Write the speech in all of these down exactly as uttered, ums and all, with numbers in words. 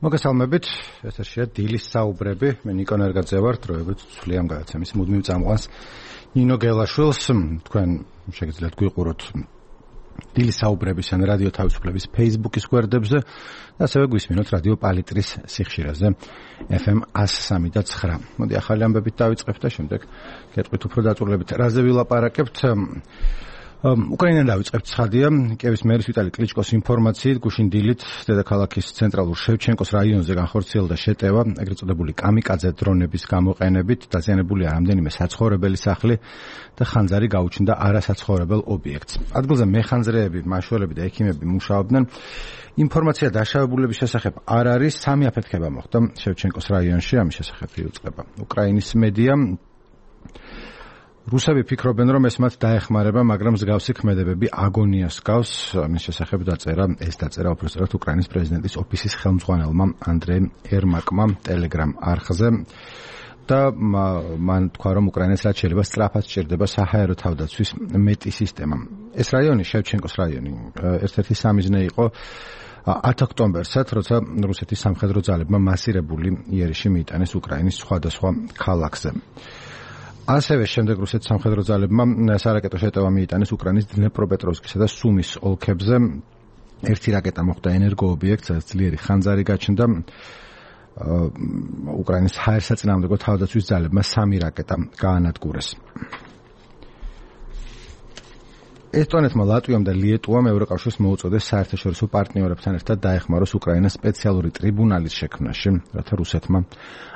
მოგესალმებით, ეთერშია დილის საუბრები. მე ნიკო ნერგაძე ვარ, დროებით ცვლი ამ გადაცემის მუდმივ წამყვანს ნინო გელაშვილს. თქვენ შეგიძლიათ გვიყუროთ დილის საუბრების ან რადიო თავისუფლების Facebook-ის გვერდებზე და ასევე გვისმინოთ რადიო პალიტრის სიხშირეზე ეფ ემ εκατო სამი და ცხრა. მოდი ახალი ამბებით დავიწყებთ და შემდეგ გეტყვით უფრო დაწვრილებით. რაზე ვილაპარაკებთ? უკრაინიდან დავიწყებთ. ცხადია, კიევის მერის ვიტალი კლიჩკოს ინფორმაციით, გუშინ დილით დედაქალაქის ცენტრალურ შევჩენკოს რაიონზე განხორციელდა შეტევა, ეგრეთ წოდებული კამიკაძე დრონების გამოყენებით, დაზიანებულია რამდენიმე საცხოვრებელი სახლი და ხანძარი გაუჩნდა არასაცხოვრებელ ობიექტს. ადგილზე მეხანძრეები, მაშველები და ექიმები მუშაობდნენ. ინფორმაცია დაშავებულების შესახებ არ არის, სამი აფეთქება მოხდა შევჩენკოს რაიონში, ამის შესახებ იუწყება უკრაინის მედია. რუსები ფიქრობენ, რომ ეს მათ დაეხმარება, მაგრამ მსგავსი ქმედებები აგონიას გავს. ამის შესახებ დაწერა, ეს დაწერა უпроსტად უკრაინის პრეზიდენტის ოფისის ხელმძღვანელმა ანდრე ერმაკმა ტელეგრამ არხზე და მან თქვა, რომ უკრაინას რაც შეიძლება სწრაფად სჭირდება საჰაერო თავდაცვის მეტი სისტემა. ეს რაიონი, შევჩენკოს რაიონი, ერთ-ერთი სამიზნე იყო ათი ოქტომბერსაც, როცა რუსეთის სამხედრო ძალებმა მასირებული იერიში მიიტანეს უკრაინის სხვადასხვა ქალაქზე. ასევე შემდეგ რუსეთის სამხედრო ძალებმა სარაკეტო შეტევა მიიტანეს უკრაინის დნეპროპეტროვსკისა და სუმის ოლქებზე. ერთი რაკეტა მოხვდა ენერგოობიექტს, სადაც ძლიერი ხანძარი გაჩნდა. უკრაინის ჰაერსაწინააღმდეგო თავდაცვის ძალებმა სამი რაკეტა გაანადგურეს. ესტონეთმა, ლატვიამ და ლიეტუამ ევროკავშირს მოუწოდეს საერთაშორისო პარტნიორებთან ერთად დაეხმაროს უკრაინას სპეციალური ტრიბუნალის შექმნაში, რათა რუსეთმა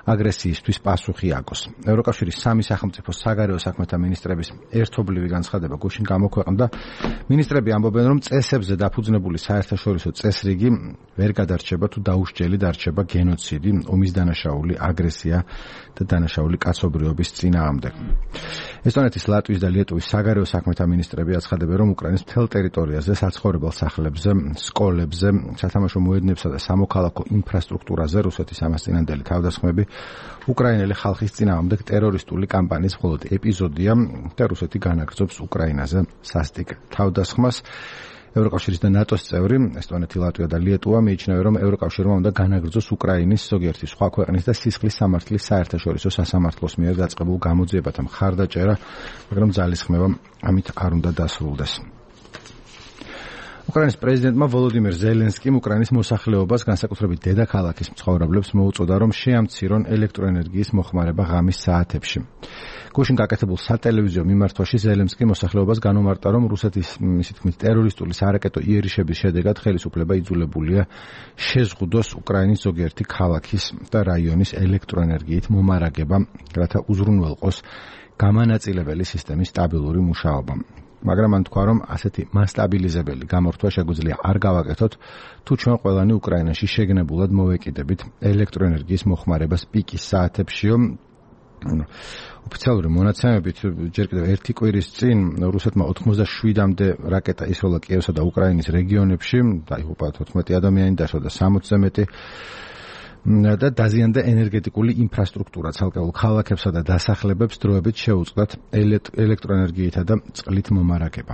აგრესიისთვის პასუხი აგოს. ევროკავშირის სამი სახელმწიფო საგარეო საქმეთა მინისტრების ერთობლივი განცხადება გუშინ გამოქვეყნდა. მინისტრები ამბობენ, რომ წესებზე დაფუძნებული საერთაშორისო წესრიგი ვერ გადარჩება თუ დაუსჯელი დარჩება გენოციდი, ომის დანაშაული, აგრესია და დანაშაული კაცობრიობის წინააღმდეგ. ესტონეთის, ლატვიის და ლიეტუვის საგარეო საქმეთა მინისტრები აცხადებენ, რომ უკრაინის მთელ ტერიტორიაზე საცხოვრებელ სახლებზე, სკოლებზე, სათამაშო მოედნებსა და სამოქალაქო ინფრასტრუქტურაზე რუსეთის ამასწინებელი თავდასხმები უკრაინელი ხალხის წინააღმდეგ ტერორისტული კამპანიის მხოლოდ ეპიზოდია და რუსეთი განაგრძობს უკრაინაზე სასტიკ თავდასხმას. ევროკავშირის და ნატოს წევრი ესტონეთი, ლატვია და ლიეტუვა მიიჩნევენ, რომ ევროკავშირმა უნდა განაგრძოს უკრაინის ზოგიერთი სხვა ქვეყნის და სისხლის სამართლის საერთაშორისო სასამართლოს მიერ დაწყებულ გამოძიებათა მხარდაჭერა, მაგრამ ძალისხმევა ამით არ უნდა დასრულდეს. უკრაინის პრეზიდენტმა ვოლოდიმირ ზელენსკიმ უკრაინის მოსახლეობას, განსაკუთრებით დედაქალაქის მცხოვრებლებს მოუწოდა, რომ შეამცირონ ელექტროენერგიის მოხმარება ღამის საათებში. გუშინ გაკეთებულ სატელევიზიო მიმართვაში ზელენსკი მოსახლეობას განუმარტა, რომ რუსეთის მისი თქმით ტერორისტული სარაკეტო იერიშების შედეგად ხელისუფლება იძულებულია შეზღუდოს უკრაინის ზოგიერთი ქალაქის და რაიონის ელექტროენერგიით მომარაგება, რათა უზრუნველყოს გამანაწილებელი სისტემის სტაბილური მუშაობა. მაგრამ მან თქვა, რომ ასეთი მასტაბილიზებელი გამორთვა შეგვიძლია არ გავაკეთოთ, თუ ჩვენ ყველანი უკრაინაში შეგნებულად მოვეკიდებით ელექტროენერგიის მოხმარებას პიკის საათებშიო. ოფიციალური მონაცემებით ჯერ კიდევ ერთი კვირის წინ რუსეთმა ოცდაშვიდამდე რაკეტა ისროლა კიევსა და უკრაინის რეგიონებში, დაიღუპა თოთხმეტი ადამიანი, დაშორდა სამოცზე მეტი და დაზიანდა ენერგეტიკული ინფრასტრუქტურა, ცალკეულ ქალაქებსა და დასახლებებს დროებით შეუწყდათ ელექტროენერგიითა და წყლით მომარაგება.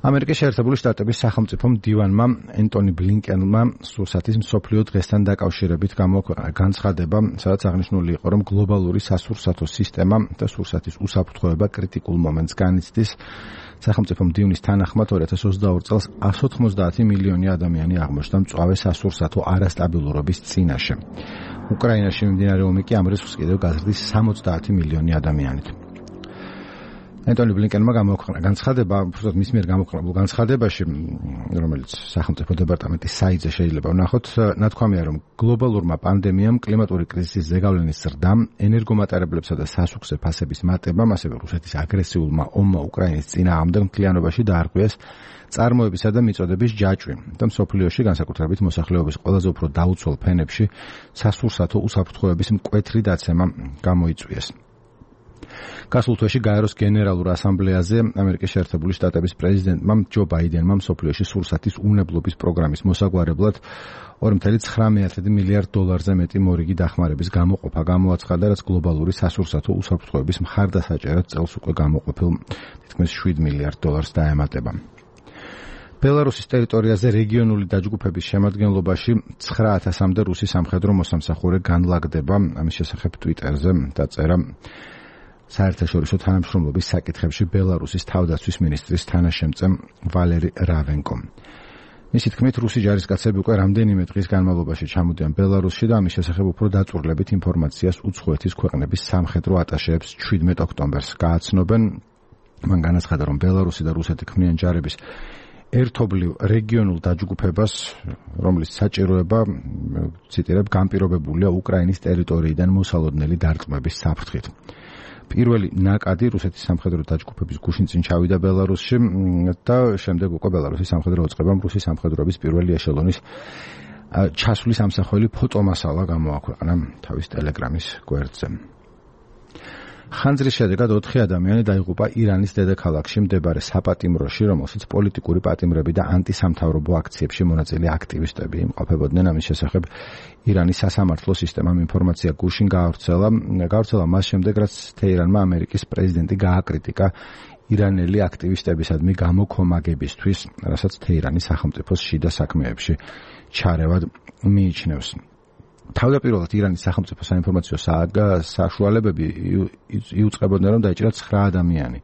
ამერიკის შეერთებული შტატების სახელმწიფო მდივანმა ენტონი ბლინკენმა სურსათის მსოფლიო დღესთან დაკავშირებით გამოქვეყნა განცხადება, სადაც აღნიშნული იყო, რომ გლობალური სასურსათო სისტემა და სურსათის უსაფრთხოება კრიტიკულ მომენტს განიცდის. სახელმწიფო მდივნის თანახმად ორი ათას ოცდაორი წელს εκατს ოცდაათი მილიონი ადამიანი აღმოჩნდა მწვავე სასურსათო არასტაბილურობის წინაშე. უკრაინაში მიმდინარე ომი კი ამ რისკს კიდევ გაზრდის სამოცდაათი მილიონი ადამიანით. ენტონი ბლინკენმა გამოქვეყნა განცხადება, უბრალოდ მის მიერ გამოქვეყნებულ განცხადებაში, რომელიც სახელმწიფო დეპარტამენტის საიტზე შეიძლება ვნახოთ, ნათქვამია, რომ გლობალურმა პანდემიამ, კლიმატური კრიზისის ზეგავლენის ზრდამ, ენერგომატარებლებსა და სასუქზე ფასების მატებამ, ასევე რუსეთის აგრესიულმა ომმა უკრაინის წინააღმდეგ მთლიანობაში დაარღვიეს წარმოებისა და მიწოდების ჯაჭვი და მსოფლიოში, განსაკუთრებით მოსახლეობის ყველაზე უფრო დაუცველ ფენებში, სასურსათო უსაფრთხოების მკვეთრი დაცემა გამოიწვიეს. გასულ თვეში გაეროს გენერალურ ასამბლეაზე ამერიკის შეერთებული შტატების პრეზიდენტმა ჯო ბაიდენმა მსოფლიოში სურსათის უნებლობის პროგრამის მოსაგვარებლად ორი წუთი ცხრამეტი მილიარდ დოლარზე მეტი მორიგი დახმარების გამოყოფა გამოაცხადა, რაც გლობალური სასურსათო უსაფრთხოების მხარდასაჭერად წელს უკვე გამოყოფილ თითქმის შვიდ მილიარდ დოლარს დაემატება. ბელარუსის ტერიტორიაზე რეგიონული დაჯგუფების შემადგენლობაში ცხრა ათასამდე რუსი სამხედრო მოსამსახურე განლაგდება. ამის შესახებ Twitterზე დაწერა საერთაშორისო თანამშრომლობის საკითხებში ბელარუსის თავდაცვის მინისტრის თანაშემწე ვალერი რავენკომ. მისი თქმით, რუსი ჯარისკაცები უკვე რამდენიმე დღის განმავლობაში ჩამოდიან ბელარუსში და ამის შესახებ უფრო დაწვრილებით ინფორმაციას უცხოეთის ქვეყნების სამხედრო ატაშეებს შვიდმეტ ოქტომბერს გააცნობენ. მან განაცხადა, რომ ბელარუსი და რუსეთი ქმნიან ჯარების ერთობლივ რეგიონულ დაჯგუფებას, რომლის საჭიროება, ციტირებ, განპირობებულია უკრაინის ტერიტორიიდან მოსალოდნელი დარტყმების საფრთხით. პირველი ნაკადი რუსეთის სამხედრო დაჯგუფების გუშინ წინ ჩავიდა ბელარუსში და შემდეგ უკვე ბელარუსის სამხედრო ოწყებამ რუსის სამხედროების პირველი ეშელონის ჩასვლის ამსახველი ფოტომასალა გამოაქვეყნა თავის ტელეგრამის გვერდზე. ხანძრის შედეგად ოთხი ადამიანი დაიღუპა ირანის დედაქალაქში მდებარე საპატიმროში, რომელშიც პოლიტიკური პატიმრები და ანტისამთავრობო აქციებში მონაწილე აქტივისტები იმყოფებოდნენ. ამის შესახებ ირანის სასამართლო სისტემამ ინფორმაცია გუშინ გაავრცელა. გაავრცელა მას შემდეგ, რაც თეირანმა ამერიკის პრეზიდენტი გააკრიტიკა ირანელი აქტივისტებისადმი გამოქომაგებისთვის, რასაც თეირანის სახელმწიფოს შიდა საქმეებში ჩარევად მიიჩნევს. თავდაპირველად ირანის სახელმწიფო საინფორმაციო საშუალებები იუწყებოდნენ, რომ დაიჭირა ცხრა ადამიანი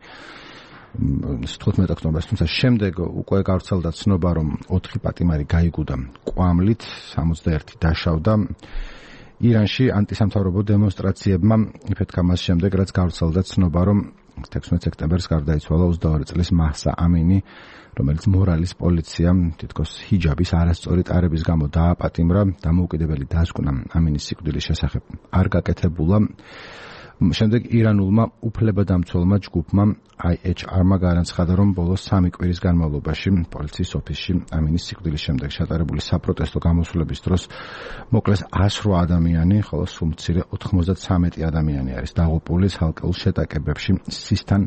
თხუთმეტ ოქტომბერს, თუმცა შემდეგ უკვე გავრცელდა ცნობა, რომ ოთხი პატიმარი გაიგუდა კვამლით, სამოცდაერთი დაშავდა. ირანში ანტისამთავრობო დემონსტრაციებმა იფეთქა მას შემდეგ, რაც გავრცელდა ცნობა, რომ თექვსმეტ სექტემბერს გარდაიცვალა ოცდაორი წლის მაჰსა ამინი, რომელიც მორალის პოლიციამ თითქოს ჰიჯაბის არასწორი ტარების გამო დააპატიმრა. დამოუკიდებელი დასკვნა ამინის სიკვდილის შესახებ არ გაკეთებულა. შემდეგ ირანულმა უფლებადამცველმა ჯგუფმა აი ეიჩ არ-მა განაცხადა, რომ ბოლოს სამი კვირის განმავლობაში პოლიციის ოფისში ამინის სიკვდილის შემდეგ ჩატარებული საპროტესტო გამოსვლების დროს მოკლეს ას რვა ადამიანი, ხოლო სულ მცირე ოთხმოცდათრამეტი ადამიანი არის დაღუპული ცალკეულ შეტაკებებში სისთან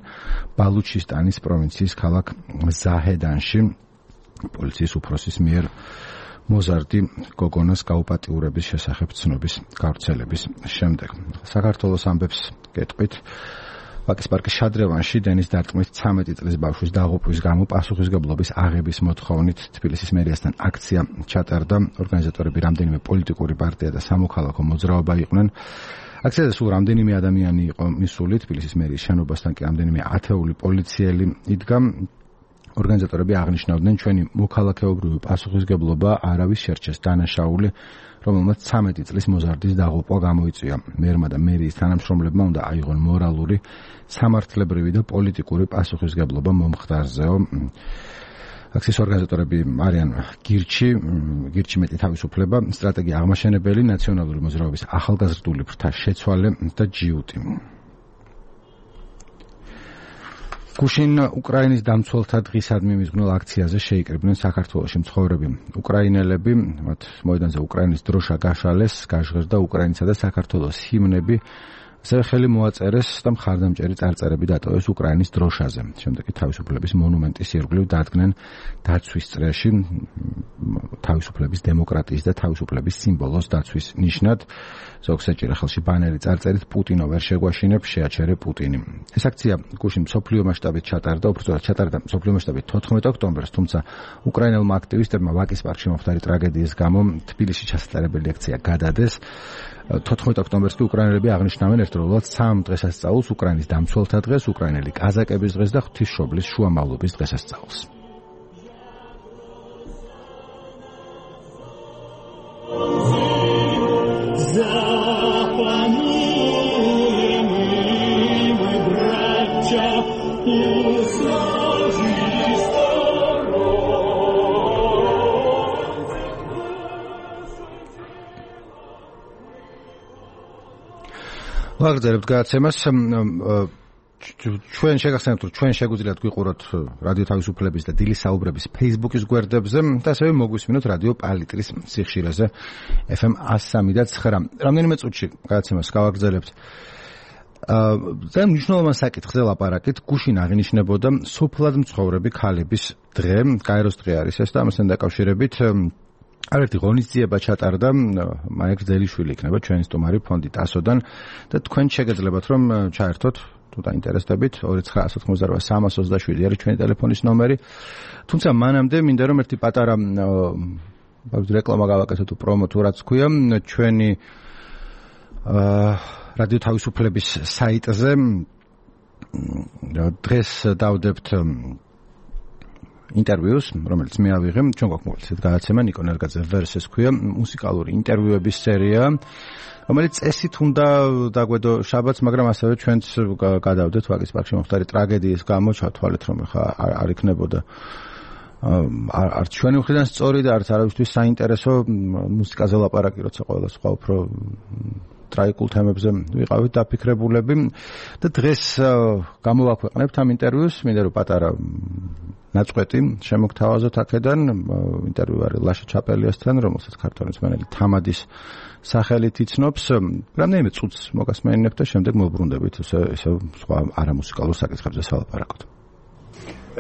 ბალუჩისტანის პროვინციის ქალაქ ზაჰედანში. პოლიციის უფროსის მიერ მოზარდი გოგონას გაუპატიურების შესახებ ცნობის გავრცელების შემდეგ. საქართველოს ამბებს გეტყვით, ვაკის პარკის შადრევანში დენის დარტყმის ცამეტი წლის ბავშვის დაღუპვის გამო პასუხისმგებლობის აღების მოთხოვნით თბილისის მერიასთან აქცია ჩატარდა. ორგანიზატორები რამდენიმე პოლიტიკური პარტია და სამოქალაქო მოძრაობა იყვნენ. აქციაზე სულ რამდენიმე ადამიანი იყო მისული, თბილისის მერიის შენობასთან კი რამდენიმე ათეული პოლიციელი იდგა. ორგანიზატორები აღნიშნავდნენ, ჩვენი მოქალაქეობრივი პასუხისმგებლობა არავის შერჩეს დანაშაული, რომელმაც ცამეტი წლის მოზარდის დაღუპვა გამოიწვია. მერმა და მერიის თანამშრომლებმა უნდა აიღონ მორალური, სამართლებრივი და პოლიტიკური პასუხისმგებლობა მომხდარზეო. აქციის ორგანიზატორები არიან გირჩი, გირჩი მეტი თავისუფლება, სტრატეგია აღმაშენებელი, ნაციონალური მოძრაობის ახალგაზრდული ფრთა შეცვალე და ჯიუტი. გუშინ უკრაინის დამცველთა დღისადმი მიზღვნილ აქციაზე შეიკრიბნენ საქართველოში მცხოვრები უკრაინელები, მათ მოედანზე უკრაინის დროშა გაშალეს, გაჟღერდა უკრაინისა და საქართველოს ჰიმნები, ასევე ხელი მოაწერეს და მხარდამჭერი წარწერები დატოვეს უკრაინის დროშაზე. შემდეგ კი თავისუფლების მონუმენტის ირგვლივ დადგნენ დაცვის წრეში თავისუფლების, დემოკრატიის და თავისუფლების სიმბოლოს დაცვის ნიშნად. ზოგს ეჭირა ხელში ბანერი წარწერით პუტინო ვერ შეგვაშინებ, შეაჩერე პუტინი. ეს აქცია გუშინ მსოფლიო მასშტაბით ჩატარდა, უბრალოდ ჩატარდა მსოფლიო მასშტაბით თოთხმეტ ოქტომბერს, თუმცა უკრაინელმა აქტივისტებმა ვაკის პარკში მომხდარი ტრაგედიის გამო თბილისში ჩასატარებელი აქცია გადადეს. თოთხმეტ ოქტომბერს კი უკრაინელები აღნიშნავენ ერთდროულად სამ დღესასწაულს, უკრაინის დამცველთა დღეს, უკრაინელი კაზაკების დღეს და ღვთისმშობლის შუამავლობის დღესასწაულს. ვაგრძელებთ გადაცემას. ჩვენ შეგახსენებთ, რომ ჩვენ შეგვიძლიათ გვიყუროთ რადიო თავისუფლების და დილის საუბრების Facebook-ის გვერდებზე და ასევე მოგვისმინოთ რადიო პალიტრის სიხშირეზე ეფ ემ one oh three point nine. რამდენიმე წუთში გადაცემას გავაგრძელებთ. და მნიშვნელოვან საკითხზე ლაპარაკით, გუშინ აღინიშნებოდა სოფლად მცხოვრები ქალების დღე, გაეროს დღე არის ეს და ამასთან დაკავშირებით არერთი ღონისძიება ჩატარდა, მაიკლ ძელიშვილი იქნება ჩვენი სტუმარი ფონდი ტასოდან და თქვენ შეგეძლებათ რომ ჩაერთოთ თუ დაინტერესდებით ორი ცხრა ოთხმოცდა რვა სამას ოცდაშვიდი არის ჩვენი ტელეფონის ნომერი. თუმცა მანამდე მინდა რომ ერთი პატარა რეკლამა გავაკეთოთ თუ პრომო თუ რაც ქვია ჩვენი რადიო თავისუფლების საიტზე დღეს დავდებთ ინტერვიუს, რომელიც მე ავიღე, ჩვენ გვაქვს მოკლედ ეს გადაცემა ნიკო ნერგაძე ვერსეს ქვია, მუსიკალური ინტერვიუების სერია, რომელიც წესით უნდა დაგვედო შაბათს, მაგრამ ასევე ჩვენც გადავდეთ ვაკის პარკში მომხდარი ტრაგედიის გამო, ჩავთვალეთ რომ ხა არ იქნებოდა არც ჩვენი მხრიდან სწორი და არც არავისთვის საინტერესო მუსიკაზე ლაპარაკი, როცა ყველა სხვა უფრო ტრაიკულ თემებზე ვიყავით დაფიქრებულები და დღეს გამოვაქვეყნებთ ამ ინტერვიუს, მინდა რომ პატარა ნაწყვეტი შემოგთავაზოთ აქედან. ინტერვიუ არის ლაშა ჩაპელიასთან, რომელსაც ქართველი მსმენელი თამადის სახელით იცნობს. რამდენიმე წუთს მოგასმენინებთ და შემდეგ მოვბრუნდებით ისე ისე სხვა არამუსიკალურ საკითხებზე სალაპარაკოთ.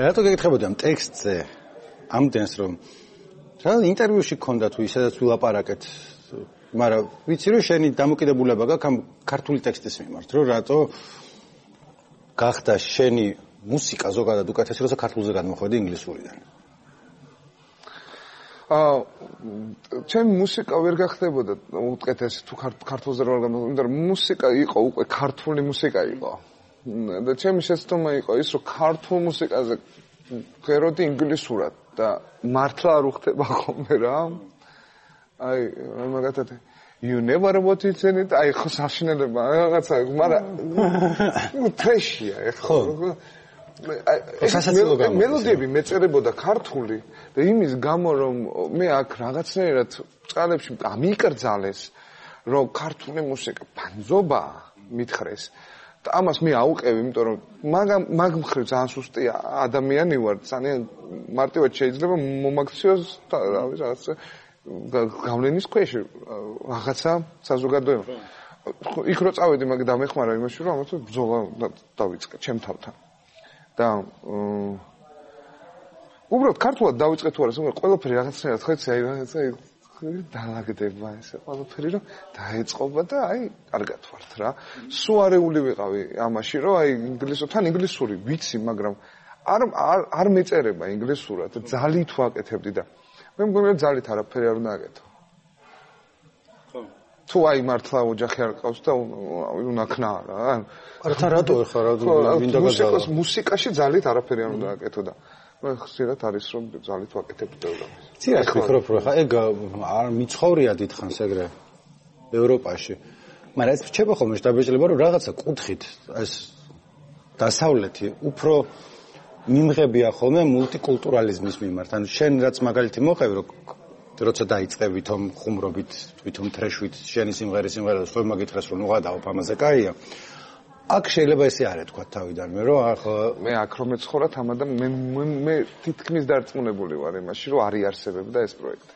რატო გეკითხებოდი ამ ტექსტზე ამდენს რომ რა ინტერვიუში გქონდა თუ ისედაც ვილაპარაკეთ, მაგრამ ვიცი რომ შენი დამოკიდებულება გაქვს ამ ქართული ტექსტის მიმართ, რომ რატო გახდა შენი მუსიკა ზოგადად უკეთესი, როცა ქართულზე გადმოხვედი ინგლისურიდან. აა ჩემი მუსიკა ვერ გახდებოდა უკეთესი თუ ქართულზე რა გამო, იმიტომ რომ მუსიკა იყო უკვე ქართული მუსიკა იყო. და ჩემი შეცდომა იყო ის რომ ქართულ მუსიკაზე ვღეროდი ინგლისურად და მართლა არ უხდება ხოლმე რა. აი მაგათად you never what it's in it აი ხო საშინელება რაღაცა მაგრამ ტრეშია ეხლა მელოდიები მეწერებოდა ქართული და იმის გამო რომ მე აქ რაღაცნაირად წყალებში ამიკრძალეს რომ ქართული მუსიკა ბანძობა მითხრეს და ამას მე აუყევი იმიტომ რომ მაგ მხრივ ძალიან სუსტი ადამიანი ვარ ძალიან მარტივად შეიძლება მომაქციოს რა ვიცი რაღაცა გავლენის ქვეშ რაღაცა საზოგადოება. იქ რო წავედი მაგ დამეხმარა იმაში რომ ამათ ბრძოლა დავიწყე ჩემ თავთან. და უბრალოდ ქართულად დავიწყე თუ არა, მაგრამ ყველაფერი რაღაცნაირად ხეცი აი რაღაცა დაალაგდება ესე ყველაფერი რომ დაეწყობა და აი კარგად ვართ რა. სუარეული ვიყავი ამაში რომ აი ინგლისურთან ინგლისური ვიცი, მაგრამ არ არ მეწერება ინგლისურად, ძალით ვაკეთებდი და მე მგონია ძალით არაფერი არ უნდა აკეთო. თუ აი მართლა ოჯახი არ ყავს და უნაქნა რა. არათა რატო ხარ რა მინდა გაგავა. მუსიკაში ძალით არაფერი არ უნდა აკეთო და მე ხშირად არის რომ ძალით ვაკეთებ და. ცი რა ფიქრობ რომ ხა ეგ არ მიცხოვრია დიდხანს ეგრე ევროპაში. მაგრამ ეს რჩება ხოლმე შტაბეჭდილება რომ რაღაცა კუთხით ეს დასავლეთი უფრო მიმღებია ხოლმე მულტიკულტურალიზმის მიმართ. ანუ შენ რაც მაგალითი მოყევი რომ როცა დაიწყე ვითომ ხუმრობით, ვითომ თრეშვით, შენი სიმღერის სიმღერა და სხვა მაგითხეს რომ უღადაობ ამაზე კაია. აქ შეიძლება ესე არ ეთქვა თავიდან მე რომ ახ მე აქ რომ მეცხოვრა თამადა მე მე თითქმის დარწმუნებული ვარ იმაში რომ არ იარსებებდა ეს პროექტი.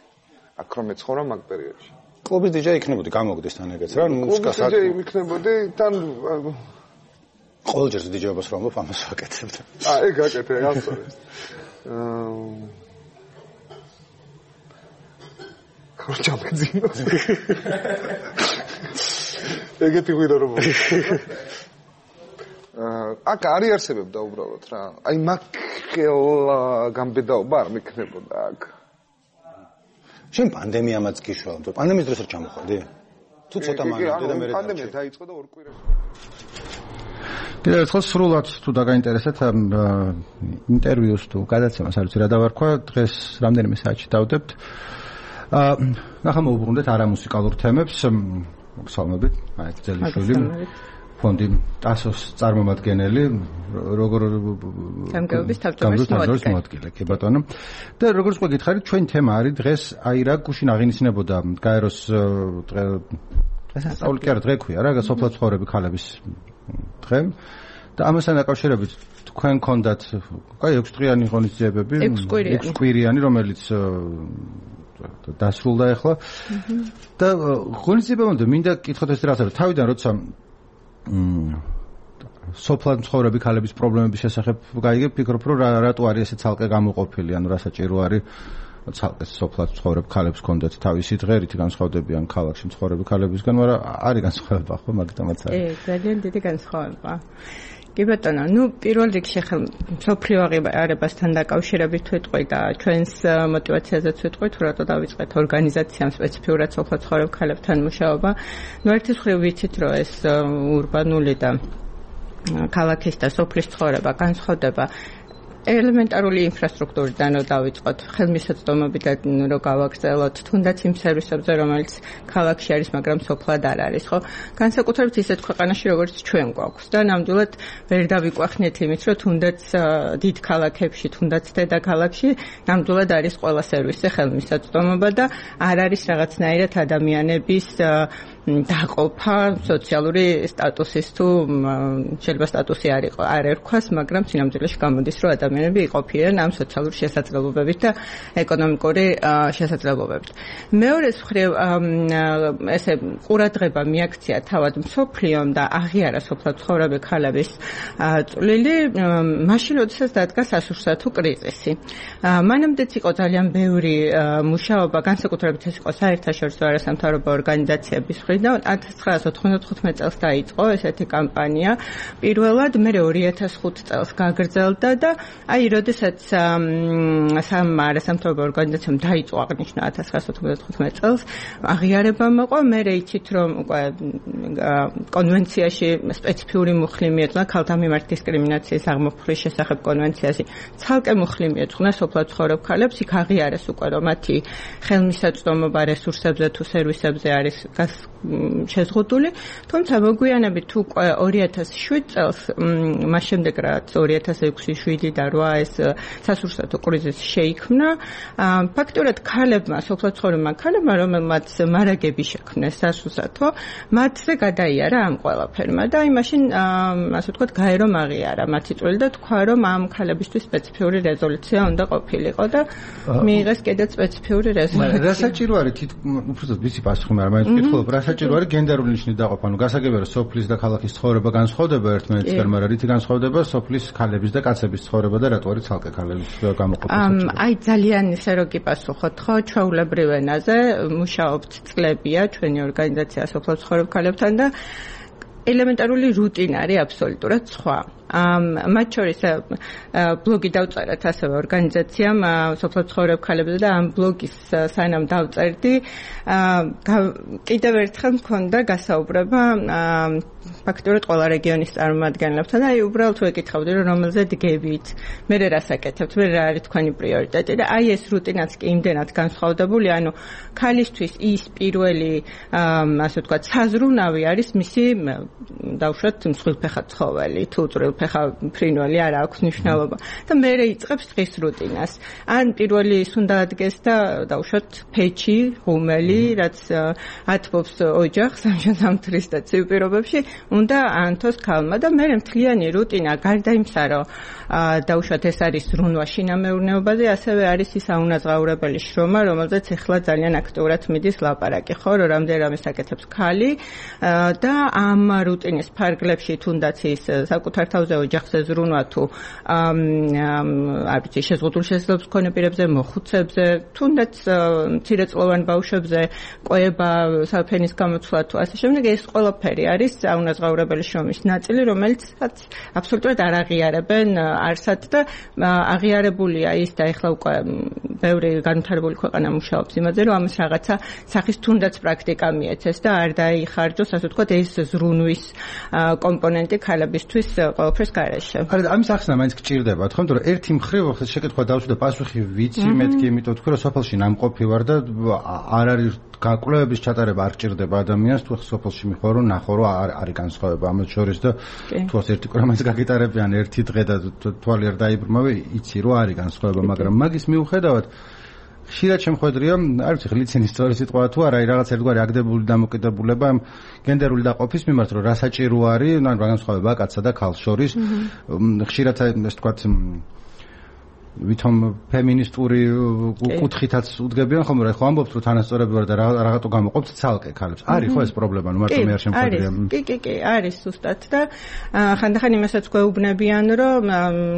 აქ რომ მეცხოვრა მაგ პერიოდში. კლუბის დიჯეი იქნებოდი გამოგდეს თან ეგეც რა მუსიკას აქ დიჯეი იქნებოდი თან ყოველჯერ დიჯეობას რომ ვამბობ ამას ვაკეთებთ. აა ეგ აკეთე გასწორე. აა ხოჭა მეძინო. ეგეთი ვიდა რომ აა აქ არ იარსებებდა უბრალოდ რა. აი მაგელა გამბედაობა არ მექნებოდა აქ. შენ პანდემიამაც გიშვალ, პანდემიის დროს არ ჩამოხვედი? თუ ცოტა მაგდე და მე პანდემია დაიწყო და ორ კვირაში. კიდევ ერთხელ სრულად თუ დაგაინტერესეთ ამ ინტერვიუს თუ გადაცემას არ ვიცი რა დავარქვა, დღეს რამდენიმე საათში დავდებთ. აა ნახა მოვუბრუნდეთ არამუსიკალურ თემებს, მოგესალმებით, მაიკლ ძელიშვილი. ფონდი ტასოს წარმომადგენელი, როგორ გამგეობის თავმჯდომარის მოადგილე, კი ბატონო. და როგორც უკვე გითხარით, ჩვენი თემა არის დღეს აი რა გუშინ აღინიშნებოდა გაეროს დღე სასწაული კი არა დღე ქვია რა, სოფლად ცხოვრები ქალების დღე. და ამასთან დაკავშირებით თქვენ გქონდათ აი ექვს დღიანი ღონისძიებები, ექვს კვირიანი, რომელიც დასრულდა ახლა. და ღონისძიებამდე მინდა კითხოთ ეს რაღაცა, თავიდან როცა სოფლად მცხოვრები ქალების პრობლემების შესახებ გაიგებ, ფიქრობ, რომ რატო არის ესე ცალკე გამოყოფილი, ანუ რა საჭირო არის ცალკე სოფლად ცხოვრებ ქალებს ჰქონდათ თავისი დღე, რითი განსხვავდებიან ქალაქში მცხოვრები ქალებისგან, მაგრამ არის განსხვავება ხო მაგიტომაც არის. კი, ძალიან დიდი განსხვავება. კი ბატონო, ну პირველ რიგში ხელ სოფლიო აღიარებასთან დაკავშირებით ვიტყვი და ჩვენს мотиваციაზეც ვიტყვი, თუ რატო დავიწყეთ ორგანიზაციამ სპეციფიურად სოფლად ცხოვრებ ქალებთან მუშაობა. ну ერთის მხრივ ვიცით, რომ ეს ურბანული და ქალაქის და სოფლის ცხოვრება განსხვავდება ელემენტარული ინფრასტრუქტურიდან რომ დავიწყოთ, ხელმისაწვდომობიდან რომ გავაგრძელოთ, თუნდაც იმ სერვისებზე, რომელიც ქალაქში არის, მაგრამ სოფლად არ არის, ხო? განსაკუთრებით ისეთ ქვეყანაში, როგორც ჩვენ გვაქვს და ნამდვილად ვერ დავიკვახნეთ იმით, რომ თუნდაც დიდ ქალაქებში, თუნდაც დედაქალაქში ნამდვილად არის ყველა სერვისი ხელმისაწვდომობა და არ არის რაღაცნაირად ადამიანების დაყოფა სოციალური სტატუსის თუ შეიძლება სტატუსი არ იყო, არ ერქვას, მაგრამ სინამდვილეში გამოდის, რომ ადამიანები იყოფიან ამ სოციალური შესაძლებლობებით და ეკონომიკური შესაძლებლობებით. მეორეს მხრივ ესე ყურადღება მიაქცია თავად მსოფლიომ და აღიარა სოფლად ცხოვრები ქალების წვლილი, მაშინ როდესაც დადგა სასურსათო კრიზისი. მანამდეც იყო ძალიან ბევრი მუშაობა, განსაკუთრებით ეს იყო საერთაშორისო არასამთავრობო ორგანიზაციების მხრიდან ათას ცხრაასი ოთხმოცდაოთხი წელს დაიწყო ესეთი კამპანია. პირველად მე ორი ათას ხუთი წელს გაგრძელდა და აი, როდესაც სამ არასამთავრობო ორგანიზაციამ დაიწყო აღნიშნა ათას ცხრაასი ოთხმოცდათხუთმეტი წელს, აღიარება მოყვა, მე იცით, რომ უკვე კონვენციაში სპეციფიური მუხლი მიეძღვნა ქალთა მიმართ დისკრიმინაციის აღმოფხვის შესახებ კონვენციაში. ცალკე მუხლი მიეძღვნა სოფლად ცხოვრებ ქალებს, იქ აღიარეს უკვე, რომ მათი ხელმისაწვდომობა რესურსებზე თუ სერვისებზე არის შეზღუდული, თუმცა მოგვიანებით უკვე ორი ათას შვიდ წელს, მას შემდეგ რაც ორი ათას ექვსი, შვიდი და რვა ეს სასურსათო კრიზისი შეიქმნა, ფაქტურად ქალებმა, სოფლად ცხოვრებმა ქალებმა, რომელმაც მარაგები შექმნეს სასურსათო, მათზე გადაიარა ამ ყველაფერმა და აი მაშინ ასე ვთქვათ, გაერო აღიარა მათი წვლილი და თქვა, რომ ამ ქალებისთვის სპეციფიური რეზოლუცია უნდა ყოფილიყო და მიიღეს კიდეც სპეციფიური რეზოლუცია. რა საჭირო არის თითქოს უბრალოდ ვიცი პასუხი, მაგრამ მაინც ვკითხულობ, რა საჭირო არის გენდერული ნიშნის დაყოფა? ნუ გასაგებია, რომ სოფლის და ქალაქის ცხოვრება განსხვავდება ერთმანეთისგან, მაგრამ რითი განსხვავდება სოფლის ქალების და კაცების ცხოვრება და რატო არის ცალკე ქალების გამოყოფა საჭირო? აი ძალიან ისე რო გიპასუხოთ, ხო, ჩვეულებრივ ენაზე მუშაობთ წლებია ჩვენი ორგანიზაცია სოფლად ცხოვრებ ქალებთან და ელემენტარული რუტინა არის აბსოლუტურად სხვა. მათ შორის ბლოგი დავწერეთ ასევე ორგანიზაციამ სოფლად ცხოვრებ ქალებზე და ამ ბლოგის სანამ დავწერდი კიდევ ერთხელ მქონდა გასაუბრება ფაქტობრივად ყველა რეგიონის წარმომადგენლებთან და აი უბრალოდ ვეკითხავდი რომ რომელზე დგებით, მე რა საკეთებთ, მე რა არის თქვენი პრიორიტეტი და აი ეს რუტინაც კი იმდენად განსხვავებული, ანუ ქალისთვის ის პირველი ასე ვთქვათ საზრუნავი არის მისი დავუშვათ მსხვილფეხა ცხოველი თუ წვრილფეხა ფრინველი არ აქვს მნიშვნელობა და მე იწყებს დღის რუტინას. ან პირველი ის უნდა ადგეს და დავუშვათ ფეჩი, ღუმელი, რაც ათბობს ოჯახს სამშაბათის და ცივ პირობებში უნდა ანთოს ქალმა და მე მთლიანი რუტინა გარდა იმისა, რომ დავუშვათ ეს არის ზრუნვა შინამეურნეობაზე, ასევე არის ის აუნაზღაურებელი შრომა, რომელზეც ახლა ძალიან აქტიურად მიდის ლაპარაკი, ხო, რომ რამდენიმე საკეთებს ქალი და ამ რუტინის ფარგლებში თუნდაც ის საკუთარ თავზე ოჯახზე ზრუნვა თუ არ ვიცი შეზღუდული შესაძლებლობის მქონე პირებზე, მოხუცებზე, თუნდაც მცირეწლოვან ბავშვებზე, ყვება, საფენის გამოცვლა თუ ასე შემდეგ, ეს ყველაფერი არის აუნაზღაურებელი შრომის ნაწილი, რომელიც აბსოლუტურად არ აღიარებენ არსად და აღიარებულია ის და ეხლა უკვე ბევრი განვითარებული ქვეყანა მუშაობს იმაზე, რომ ამას რაღაცა სახის თუნდაც პრაქტიკა მიეცეს და არ დაიხარჯოს, ასე ვთქვათ, ეს ზრუნვის კომპონენტი ქალებისთვის ყველაფერს გარეშე. არა, ამის ახსნა მაინც გჭირდება, თქო, რომ ერთი მხრივ ხეთ შეკითხვა დავსვი და პასუხი ვიცი, მეთქი, იმიტომ ვთქვი, რომ სოფელში ნამყოფი ვარ და არ არის გაკვლევების ჩატარება არ ჭირდება ადამიანს, თუ სოფელში მიხვალ რომ ნახო რომ არის განსხვავება ამას შორის და თუ ასეთი კრამას გაგიტარებიან ერთი დღე და თვალი არ დაიბრმავე, იცი რომ არის განსხვავება, მაგრამ მაგის მიუხედავად ხშირად შემხვედრია, არ ვიცი, ხლიცინის სწორი სიტყვა თუ არა, რაღაც ერთგვარი აგდებული დამოკიდებულება გენდერული დაყოფის მიმართ, რომ რა საჭირო არის, ანუ რა განსხვავება კაცსა და ქალს შორის. ხშირად ეს თქვათ ვითომ ფემინისტური კუთხითაც უდგებიან ხომ რა ხო ამბობთ რომ თანასწორები ვარ და რაღაცო გამოყოფთ ცალკე ქალებს არის ხო ეს პრობლემა ნუ მარტო მე არ შემხვედრია კი კი კი არის ზუსტად და ხანდახან იმასაც გვეუბნებიან რომ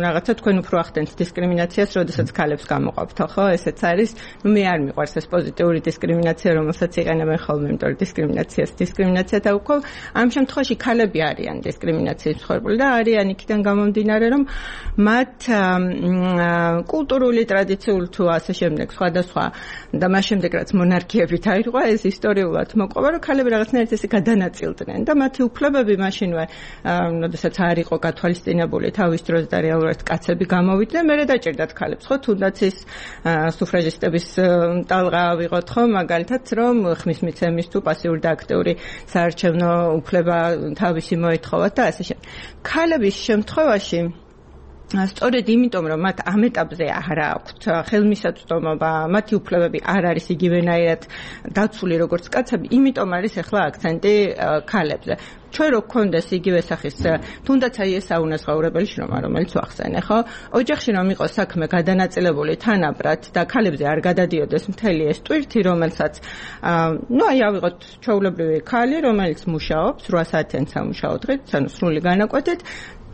რაღაცა თქვენ უფრო ახდენთ დისკრიმინაციას როდესაც ქალებს გამოყოფთ ხო ესეც არის ნუ მე არ მიყვარს ეს პოზიტიური დისკრიმინაცია რომელსაც იყენებენ ხოლმე იმიტომ რომ დისკრიმინაციას დისკრიმინაცია დაუქვევ ამ შემთხვევაში ქალები არიან დისკრიმინაციის მსხვერპლი და არიან იქიდან გამომდინარე რომ მათ კულტურული ტრადიციული თუ ასე შემდეგ სხვადასხვა და მას შემდეგ რაც მონარქიები დაირღვა ეს ისტორიულად მოყვება რომ ქალები რაღაცნაირად ესე გადანაწილდნენ და მათი უფლებები მაშინვე როდესაც არ იყო გათვალისწინებული თავის დროს და რეალურად კაცები გამოვიდნენ მერე დაჭირდათ ქალებს ხო თუნდაც ის სუფრაჟისტების ტალღა ავიღოთ ხო მაგალითად რომ ხმის მიცემის თუ პასიური და აქტიური საარჩევნო უფლება თავისი მოეთხოვათ და ასე შემდეგ ქალების შემთხვევაში სწორედ იმიტომ რომ მათ ამ ეტაპზე არ აქვთ ხელმისაწვდომობა, მათი უფლებები არ არის იგივენაირად დაცული როგორც კაცები, იმიტომ არის ახლა აქცენტი ქალებზე. ჩვენ რო გქონდეს იგივე სახის თუნდაც აი ეს საუნაზღაურებელი შრომა რომელიც ვახსენე ხო ოჯახში რომ იყოს საქმე გადანაწილებული თანაბრად და ქალებზე არ გადადიოდეს მთელი ეს ტვირთი რომელსაც ნუ აი ავიღოთ ჩვეულებრივი ქალი რომელიც მუშაობს რვა საათიან სამუშაო დღით ანუ სრული განაკვეთით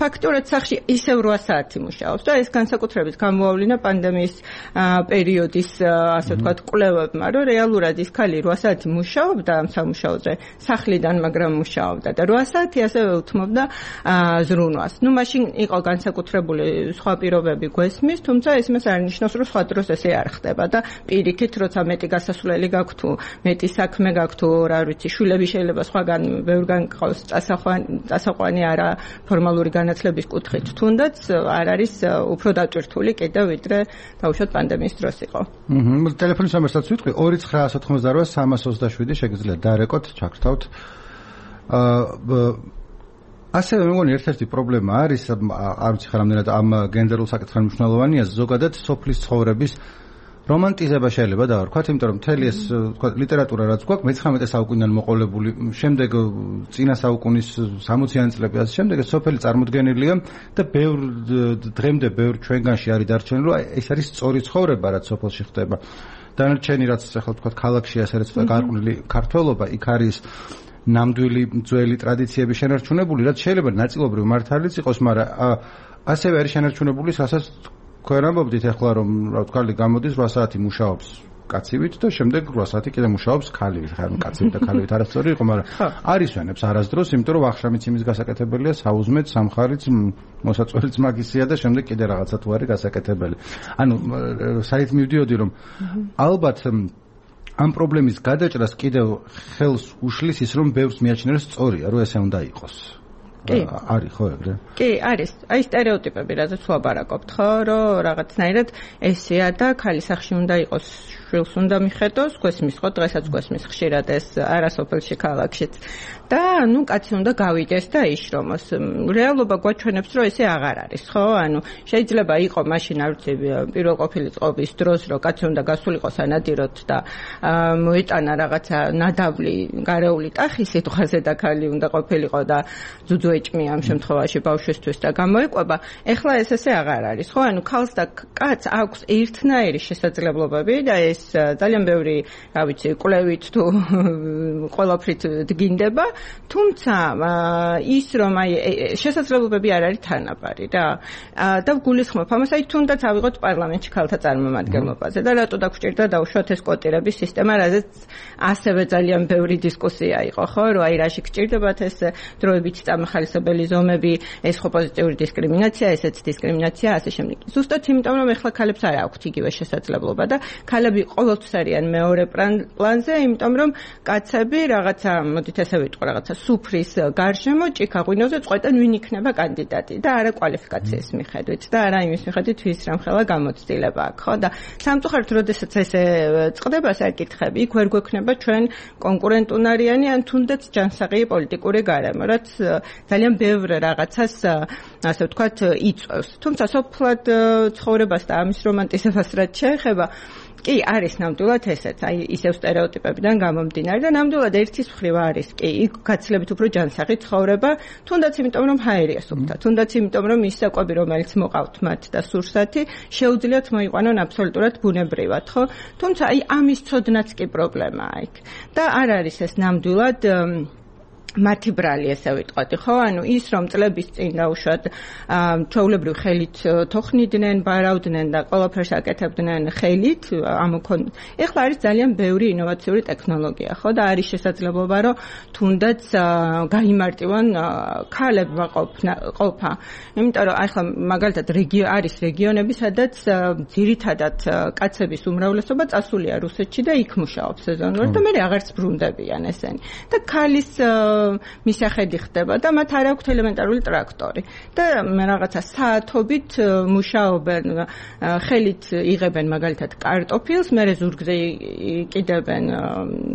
ფაქტურად სახში ისევ რვა საათი მუშაობს და ეს განსაკუთრებით გამოავლინა პანდემიის პერიოდის ასე ვთქვათ კვლევებმა რომ რეალურად ის ქალი რვა საათი მუშაობდა ამ სამუშაოზე სახლიდან მაგრამ მუშაობდა და რვა საათი ასევე უთმობდა ზრუნვას. ნუ მაშინ იყო განსაკუთრებული სხვა პირობები გვესმის, თუმცა ეს მას არ ნიშნავს რომ სხვა დროს ესე არ ხდება და პირიქით როცა მეტი გასასვლელი გაქვთ თუ მეტი საქმე გაქვთ თუ რა ვიცი შვილები შეიძლება სხვაგან ბევრგან ყავს წასაყვანი არა ფორმალური განათლების კუთხით თუნდაც არ არის უფრო დატვირთული კიდევ ვიდრე დაუშვათ პანდემიის დროს იყო. აჰა, ტელეფონის ნომერსაც ვიტყვი ორი ცხრაასი ოთხმოცდარვა სამას ოცდაშვიდი შეგიძლიათ დარეკოთ, ჩაგრთავთ. აა ასევე მე მგონი ერთ-ერთი პრობლემა არის, არ ვიცი ხარ რამდენად ამ გენდერულ საკითხთან მნიშვნელოვანია, ზოგადად სოფლის ცხოვრების რომანტიზება შეიძლება დავარქვათ, იმიტომ რომ მთელი ეს ლიტერატურა რაც გვაქვს მეცხრამეტე საუკუნიდან მოყოლებული, შემდეგ წინა საუკუნის სამოციანი წლები ასე შემდეგ ეს სოფელი წარმოდგენილია და ბევრ დღემდე ბევრ ჩვენგანში არის დარჩენილი, რომ ეს არის სწორი ცხოვრება რაც სოფელში ხდება. დანარჩენი რაც ახლა თქვა ქალაქში ასე რაც გარყვნილი ქართველობა, იქ არის ნამდვილი ძველი ტრადიციების შენარჩუნებული, რაც შეიძლება ნაწილობრივ მართალიც იყოს, მაგრამ ასევე არის შენარჩუნებული, რასაც თქვენ ამბობდით ახლა რომ რა ვთქვი, გამოდის რვა საათი მუშაობს კაცივით და შემდეგ რვა საათი კიდე მუშაობს ქალივით. ხარ კაცივით და ქალივით არასწორი იყო, მაგრამ არის ვენებს არასდროს, იმიტომ რომ ვახშამიც იმის გასაკეთებელია, საუზმეც, სამხარიც, მოსაწვევიც მაგისია და შემდეგ კიდე რაღაცა თუ არის გასაკეთებელი. ანუ საით მივდიოდი რომ ალბათ ამ პრობლემის გადაჭრას კიდევ ხელს უშლის ის რომ ბევრს მიაჩნია რომ სწორია, რომ ესე უნდა იყოს. კი, არის ხო ეგრე? კი, არის. აი სტერეოტიპები, რაზეც ვაბარაკობთ, ხო, რომ რაღაცნაირად ესეა და ქალის სახში უნდა იყოს, შვილს უნდა მიხედოს, გვესმის ხო, დღესაც გვესმის ხშირად ეს არასოფელში ქალაქშიც. და ნუ კაცი უნდა გავიდეს და იშრომოს. რეალობა გვაჩვენებს, რომ ესე აღარ არის, ხო? ანუ შეიძლება იყოს მაშინ არ ვიცი პირველყოფილი წყობის დროს, რომ კაცი უნდა გასულიყო სანადიროთ და მოეტანა რაღაცა ნადავლი, გარეული ტახი სიტყვაზე და ქალი უნდა ყოფილიყო და ძუძუ ეჭმი ამ შემთხვევაში ბავშვისთვის და გამოიყვება. ეხლა ეს ესე აღარ არის, ხო? ანუ ქალს და კაცს აქვს ერთნაირი შესაძლებლობები და ეს ძალიან ბევრი, რა ვიცი, კვლევით თუ ყველაფრით დგინდება, თუმცა ის რომ აი შესაძლებლობები არ არის თანაბარი რა. და ვგულისხმობ ამას, აი თუნდაც ავიღოთ პარლამენტში ქალთა წარმომადგენლობაზე და რატო დაგვჭირდა დავუშვათ ეს კვოტირების სისტემა, რაზეც ასევე ძალიან ბევრი დისკუსია იყო, ხო? რომ აი რაში გჭირდებათ ეს დროებით წამახალისებელი ზომები, ეს ხო პოზიტიური დისკრიმინაცია, ესეც დისკრიმინაცია, ასე შემდეგ. ზუსტად იმიტომ რომ ეხლა ქალებს არ აქვთ იგივე შესაძლებლობა და ქალები ყოველთვის არიან მეორე პლანზე, იმიტომ რომ კაცები რაღაცა, მოდით ესე ვიტყვი, რაღაცა სუფრის გარშემო ჭიქაღვინოზე წყვეტენ ვინ იქნება კანდიდატი და არა კვალიფიკაციის მიხედვით და არა იმის მიხედვით ვის რამხელა გამოცდილება აქვს, ხო? და სამწუხაროდ როდესაც ესე წყდება საკითხები, იქ ვერ გვექნება ჩვენ კონკურენტუნარიანი ან თუნდაც ჯანსაღი პოლიტიკური გარემო, რაც ძალიან ბევრ რაღაცას ასე ვთქვათ იწვევს. თუმცა სოფლად ცხოვრებას და ამის რომანტიზებას რაც შეეხება, კი არის ნამდვილად ესეც, აი ისევ სტერეოტიპებიდან გამომდინარე და ნამდვილად ერთის მხრივ არის კი იქ გაცილებით უფრო ჯანსაღი ცხოვრება, თუნდაც იმიტომ რომ ჰაერია სუფთა, თუნდაც იმიტომ რომ ის საკვები რომელიც მოყავთ მათ და სურსათი შეუძლიათ მოიყვანონ აბსოლუტურად ბუნებრივად, ხო? თუმცა აი ამის ცოდნაც კი პრობლემაა იქ. და არ არის ეს ნამდვილად მათი ბრალი ესე ვიტყოდი, ხო? ანუ ის რომ წლების წინ დაუშვათ ჩვეულებრივ ხელით თოხნიდნენ, ბარავდნენ და ყველაფერს აკეთებდნენ ხელით, ამოქონ. ეხლა არის ძალიან ბევრი ინოვაციური ტექნოლოგია, ხო? და არის შესაძლებლობა, რომ თუნდაც გაიმარტივონ ქალებმა ყოფა. იმიტომ რომ ახლა მაგალითად რეგიო არის რეგიონები, სადაც ძირითადად კაცების უმრავლესობა წასულია რუსეთში და იქ მუშაობს სეზონურად და მე აღარც ბრუნდებიან ესენი. და ქალის მისახედი ხდება და მათ არ აქვთ ელემენტარული ტრაქტორი და რაღაცა საათობით მუშაობენ, ხელით იღებენ მაგალითად კარტოფილს, მერე ზურგზე იყიდებენ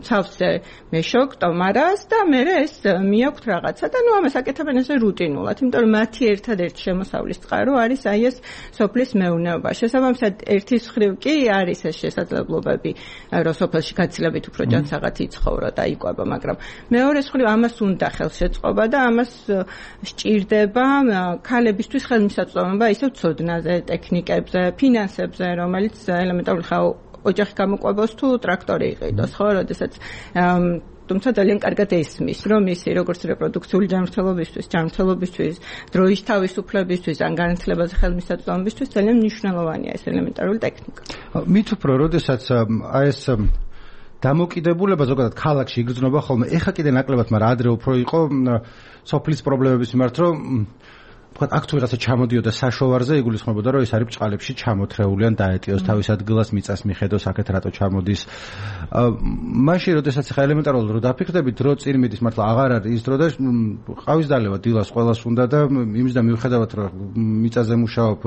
ცავზე მეშოკ, ტომარას და მერე ეს მიაქვთ რაღაცა და ნუ ამას აკეთებენ ესე რუტინულად, იმიტომ რომ მათი ერთადერთი შემოსავლის წყარო არის აი ეს სოფლის მეურნეობა. შესაბამისად ერთის მხრივ კი არის ეს შესაძლებლობები, რომ სოფელში გაცილებით უფრო ჯანსაღად იცხოვრო და იკვება, მაგრამ მეორეს მხრივ ამას უნდა ხელშეწყობა და ამას სჭირდება ქალებისთვის ხელმისაწვდომობა ისევ ცოდნაზე, ტექნიკებზე, ფინანსებზე, რომელიც ელემენტარული ხა ოჯახი გამოყვებოს თუ ტრაქტორი იყიდოს, ხო, როდესაც თუმცა ძალიან კარგად ესმის, რომ ისი როგორც რეპროდუქციული ჯანმრთელობისთვის, ჯანმრთელობისთვის, დროის თავისუფლებისთვის, ან განათლებაზე ხელმისაწვდომობისთვის ძალიან მნიშვნელოვანია ეს ელემენტარული ტექნიკა. მით უფრო, როდესაც აი ეს დამოკიდებულება ზოგადად ქალაქში იგრძნობა ხოლმე. ეხა კიდე ნაკლებად, მაგრამ ადრე უფრო იყო სოფლის პრობლემების მიმართ, რომ ვთქვათ, აქ თუ რაღაცა ჩამოდიოდა საშოვარზე, იგულისხმებოდა, რომ ეს არის ბჭყალებში ჩამოთრეული ან დაეტიოს თავის ადგილას მიწას მიხედოს, აქეთ რატო ჩამოდის. მაშინ, როდესაც ხა ელემენტარულად რო დაფიქრდებით, დრო წინ მიდის, მართლა აღარ არის ის დრო და ყავის დალევა დილას ყველას უნდა და იმის და მიუხედავად რომ მიწაზე მუშაობ,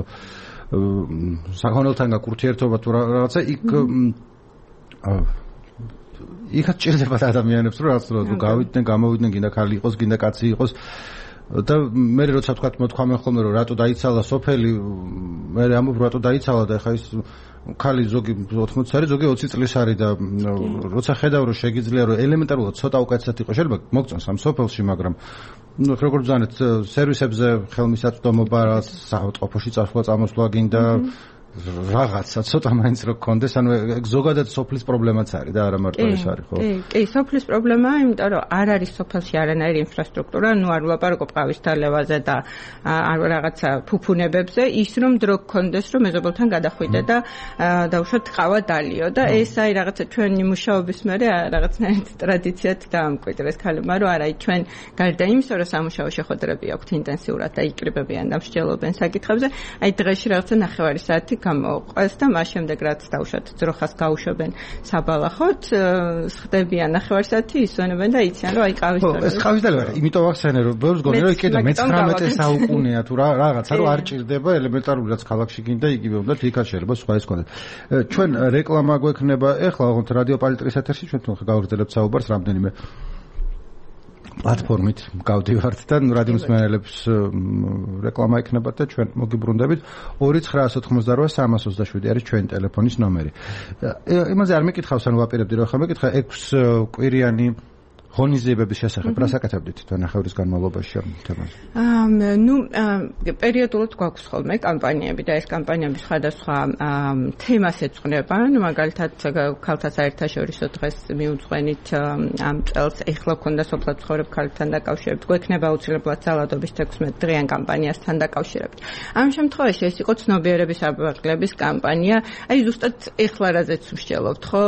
საქონელთან გაკურთიერთობა თუ რაღაცა იქ იქაც ჭირდებათ ადამიანებს, რომ რაღაც რო გავიდნენ, გამოვიდნენ, გინდა ხალი იყოს, გინდა კაცი იყოს. და მე როცა თქვა მოთქვამენ ხოლმე რომ რატო დაიცალა სოფელი, მე ამბობ რატო დაიცალა და ხა ის ხალი ზოგი ოთხმოცი არის, ზოგი ოცი წლის არის და როცა ხედავ რომ შეგიძლია რომ ელემენტარულად ცოტა უკეთესად იყოს, შეიძლება მოგწონს ამ სოფელში, მაგრამ ნუ როგორც ზანეთ სერვისებზე ხელმისაწვდომობა, რაც საავადმყოფოში წასვლა წამოსვლა გინდა რაღაცა ცოტა მაინც რო გქონდეს, ანუ ზოგადად სოფლის პრობლემაც არის და არა მარტო ეს არის, ხო? კი, კი, სოფლის პრობლემაა, იმიტომ რომ არ არის სოფელში არანაირი ინფრასტრუქტურა, ნუ არ ვლაპარაკობ ყავის დალევაზე და არ რაღაცა ფუფუნებებზე, ის რომ დრო გქონდეს, რომ მეზობელთან გადახვიდე და დავუშვათ ყავა დალიო და ეს აი რაღაცა ჩვენი მუშაობის მერე რაღაცნაირად ტრადიციად დაამკვიდრეს ქალებმა, რომ არა, ჩვენ გარდა იმისა, რომ სამუშაო შეხვედრები აქვთ ინტენსიურად და იკრიბებიან და მსჯელობენ საკითხებზე, აი დღეში რაღაცა ნახევარი საათი გამოყვეს და მას შემდეგ რაც დავუშვათ ძროხას გაუშვებენ საბალახოთ, ხდებიან ნახევარი საათი ისვენებენ და იციან რომ აი ყავის დალევა. ეს ყავის დალევა, იმიტომ ახსენე რომ ბევრს გონი რომ იქედა მეცხრამეტე საუკუნეა თუ რაღაცა რომ არ ჭირდება ელემენტარული რაც ქალაქში გინდა იგივე უნდა იქაც შეიძლება სხვა ის კონდეთ. ჩვენ რეკლამა გვექნება ეხლა ოღონდ რადიო პალიტრის ეთერში ჩვენ თუნხ გავაგრძელებთ საუბარს რამდენიმე პლატფორმით გავდივართ და რადიო მსმენელებს რეკლამა ექნებათ და ჩვენ მოგიბრუნდებით. ორი ცხრაასი ოთხმოცდაოთხ სამას ოცდაშვიდი არის ჩვენი ტელეფონის ნომერი. იმაზე არ მეკითხავს, ანუ ვაპირებდი რომ ხა მეკითხა ექვსი კვირიანი ღონისძიებების შესახებ რას აკეთებდით ნახევრის განმავლობაში ამ თემაზე? აა ნუ პერიოდულად გვაქვს ხოლმე კამპანიები და ეს კამპანიები სხვადასხვა თემას ეძღვნება. ნუ მაგალითად ქალთა საერთაშორისო დღეს მიუძღვენით ამ წელს ეხლა ქონდა სოფლად ცხოვრებ ქალთან დაკავშირებით. გვექნება აუცილებლად ძალადობის თექვსმეტ დღიან კამპანიასთან დაკავშირებით. ამ შემთხვევაში ეს იყო ცნობიერების აბრაღლების კამპანია. აი ზუსტად ეხლა რაზეც ვსჯელობთ, ხო?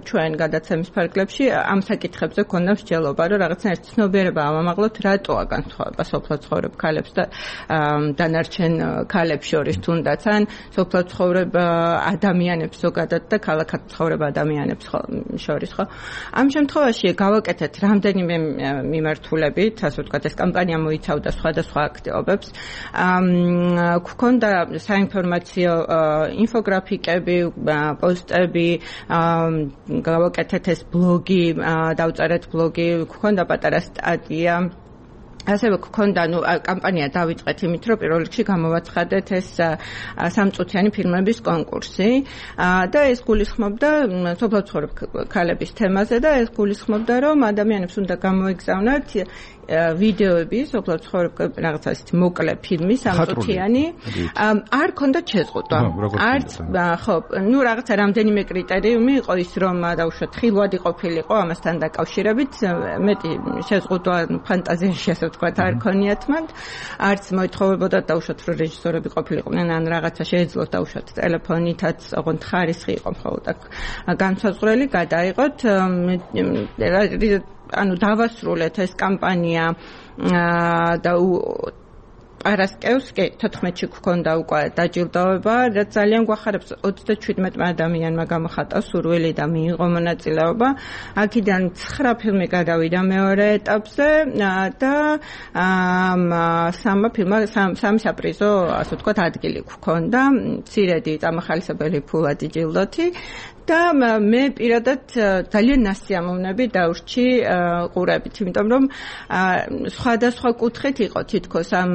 ჩვენ გადაცემის ფარგლებში ამ საკითხებზე ქონდა მსჯელობა, რომ რაღაცნაირად ცნობიერება ავამაღლოთ, რატოა განსხვავება სოფლად ცხოვრებ ქალებს და დანარჩენ ქალებს შორის თუნდაც ან სოფლად ცხოვრებ ადამიანებს ზოგადად და ქალაქად ცხოვრებ ადამიანებს შორის, ხო? ამ შემთხვევაში გავაკეთეთ რამდენიმე მიმართულებით, ასე ვთქვათ, ეს კამპანია მოიცავდა სხვადასხვა აქტივობებს. გქონდა საინფორმაციო ინფოგრაფიკები, პოსტები, გავაკეთეთ ეს ბლოგი, დავწერეთ ბლოგი, გქონდა პატარა სტატია ასევე გქონდა ნუ კამპანია დავიწყეთ იმით, რომ პირველ რიგში გამოვაცხადეთ ეს სამწუთიანი ფილმების კონკურსი და ეს გულისხმობდა სოფლად ცხოვრებ ქალების თემაზე და ეს გულისხმობდა, რომ ადამიანებს უნდა გამოეგზავნათ ვიდეოები, სოფლად ცხოვრებ რაღაცა ისეთი მოკლე ფილმი სამწუთიანი. არ ქონდა შეზღუდვა. არც ხო, ნუ რაღაცა რამდენიმე კრიტერიუმი იყო ის, რომ დაუშვათ ხილვადი ყოფილიყო ამასთან დაკავშირებით, მეტი შეზღუდვა ფანტაზიაში ასე ვთქვათ არ ქონიათ მან. არც მოითხოვებოდა დაუშვათ რომ რეჟისორები ყოფილიყვნენ ან რაღაცა შეეძლოთ დაუშვათ ტელეფონითაც, ოღონდ ხარისხი იყო მხოლოდ აქ განსაზღვრელი, გადაიღოთ ანუ დავასრულეთ ეს კამპანია და პარასკევს კი თოთხმეტში გქონდა უკვე დაჯილდოება, რაც ძალიან გვახარებს ოცდაჩვიდმეტ ადამიანმა გამოხატა სურვილი და მიიღო მონაწილეობა. აქედან ცხრა ფილმი გადავიდა მეორე ეტაპზე და სამმა ფილმმა სამი საპრიზო, ასე ვთქვათ, ადგილი გქონდა. მცირედი წამახალისებელი ფულადი ჯილდოთი და მე პირადად ძალიან ნასიამოვნები დავრჩი ყურებით, იმიტომ რომ სხვადასხვა კუთხით იყო თითქოს ამ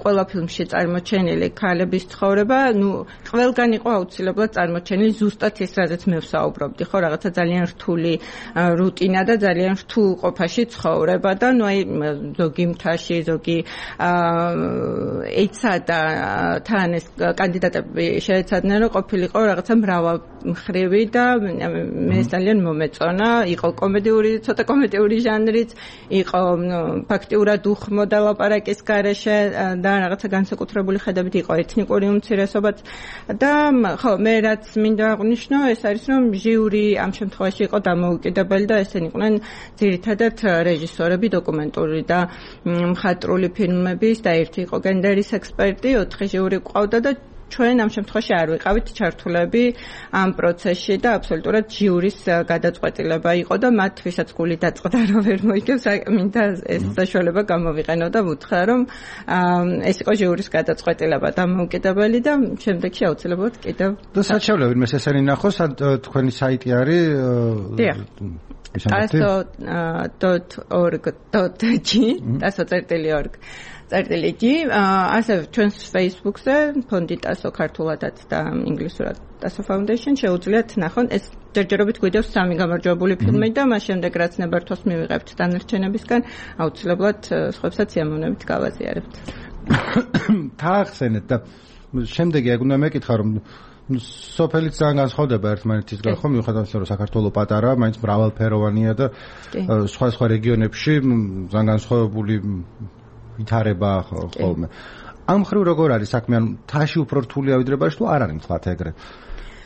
ყველა ფილმში წარმოჩენილი ქალების ცხოვრება, ნუ ყველგან იყო აუცილებლად წარმოჩენილი ზუსტად ეს, რაზეც მე ვსაუბრობდი, ხო, რაღაცა ძალიან რთული რუტინა და ძალიან რთულ ყოფაში ცხოვრება და ნუ აი ზოგი მთაში, ზოგი ეცა და თან ეს კანდიდატები შეეცადნენ, რომ ყოფილიყო რაღაცა მრავალმხრივი და მე ძალიან მომეწონა, იყო კომედიური, ცოტა კომედიური ჟანრიც, იყო ფაქტიურად უხმოდა ლაპარაკის გარეშე და რაღაცა განსაკუთრებული ხედებით იყო ეთნიკური უმცირესობაც და ხო, მე რაც მინდა აღვნიშნო, ეს არის რომ ჟიური ამ შემთხვევაში იყო დამოუკიდებელი და ესენი იყვნენ ძირითადად რეჟისორები, დოკუმენტური და მხატვრული ფილმების და ერთი იყო გენდერის ექსპერტი, ოთხი ჟიური ყავდა და ჩვენ ამ შემთხვევაში არ ვიყავით ჩართულები ამ პროცესში და აბსოლუტურად ჟიურის გადაწყვეტილება იყო და მათ ვისაც გული დაწყდა რომ ვერ მოიგებს, მინდა ეს საშუალება გამოვიყენო და ვუთხრა რომ ეს იყო ჟიურის გადაწყვეტილება დამოუკიდებელი და შემდეგში აუცილებლად კიდევ და საჩავლე ვინმე ესენი ნახოს, თქვენი საიტი არის taso dot org dot g taso წერტილი org წერტილი g ასევე ჩვენს Facebook-ზე ფონდი taso ქართულადაც და ინგლისურად taso foundation შეუძლიათ ნახონ ეს ჯერჯერობით გვიდევს სამი გამარჯვებული ფილმი და მას შემდეგ რაც ნებართვას მივიღებთ დანარჩენებისგან აუცილებლად სხვებსაც სიამოვნებით გავაზიარებთ. თახსენეთ და შემდეგი ეგ უნდა მეკითხა რომ სოფელიც ძალიან განსხვავდება ერთმანეთისგან, ხო, მიუხედავად იმისა, რომ საქართველო პატარა, მაინც მრავალფეროვანია და სხვა სხვა რეგიონებში ძალიან განსხვავებული ვითარება ხოლმე. ამ მხრივ როგორ არის საქმე, ანუ თაში უფრო რთულია ვიდრე ბაში თუ არ არის თქვათ ეგრე?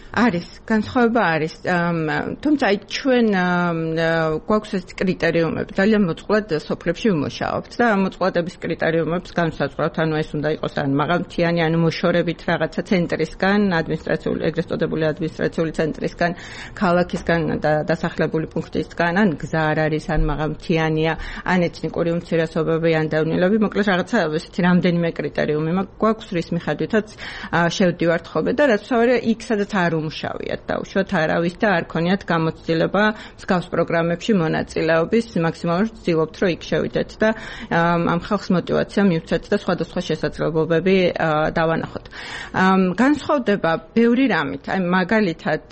არის, განსხვავება არის. თუმცა აი ჩვენ გვაქვს ეს კრიტერიუმები, ძალიან მოწყვლად სოფლებში ვიმუშაობთ და ამ მოწყვლადების კრიტერიუმებს განსაზღვრავთ, ანუ ეს უნდა იყოს ან მაღალმთიანი, ანუ მოშორებით რაღაცა ცენტრისგან, ადმინისტრაციული, ეგრეთ წოდებული ადმინისტრაციული ცენტრისგან, ქალაქისგან და დასახლებული პუნქტისგან, ან გზა არ არის, ან მაღალმთიანია, ან ეთნიკური უმცირესობები, ან დავნილები, მოკლედ რაღაცა ესეთი რამდენიმე კრიტერიუმი გვაქვს, რის მიხედვითაც შევდივართ ხოლმე და რაც ვსაუბრე იქ სადაც არ უმუშავიათ დაუშვათ არავის და არ ქონიათ გამოცდილება მსგავს პროგრამებში მონაწილეობის, მაქსიმალურად ვცდილობთ რომ იქ შევიდეთ და ამ ხალხს მოტივაცია მივცეთ და სხვადასხვა შესაძლებლობები დავანახოთ. განსხვავდება ბევრი რამით, აი მაგალითად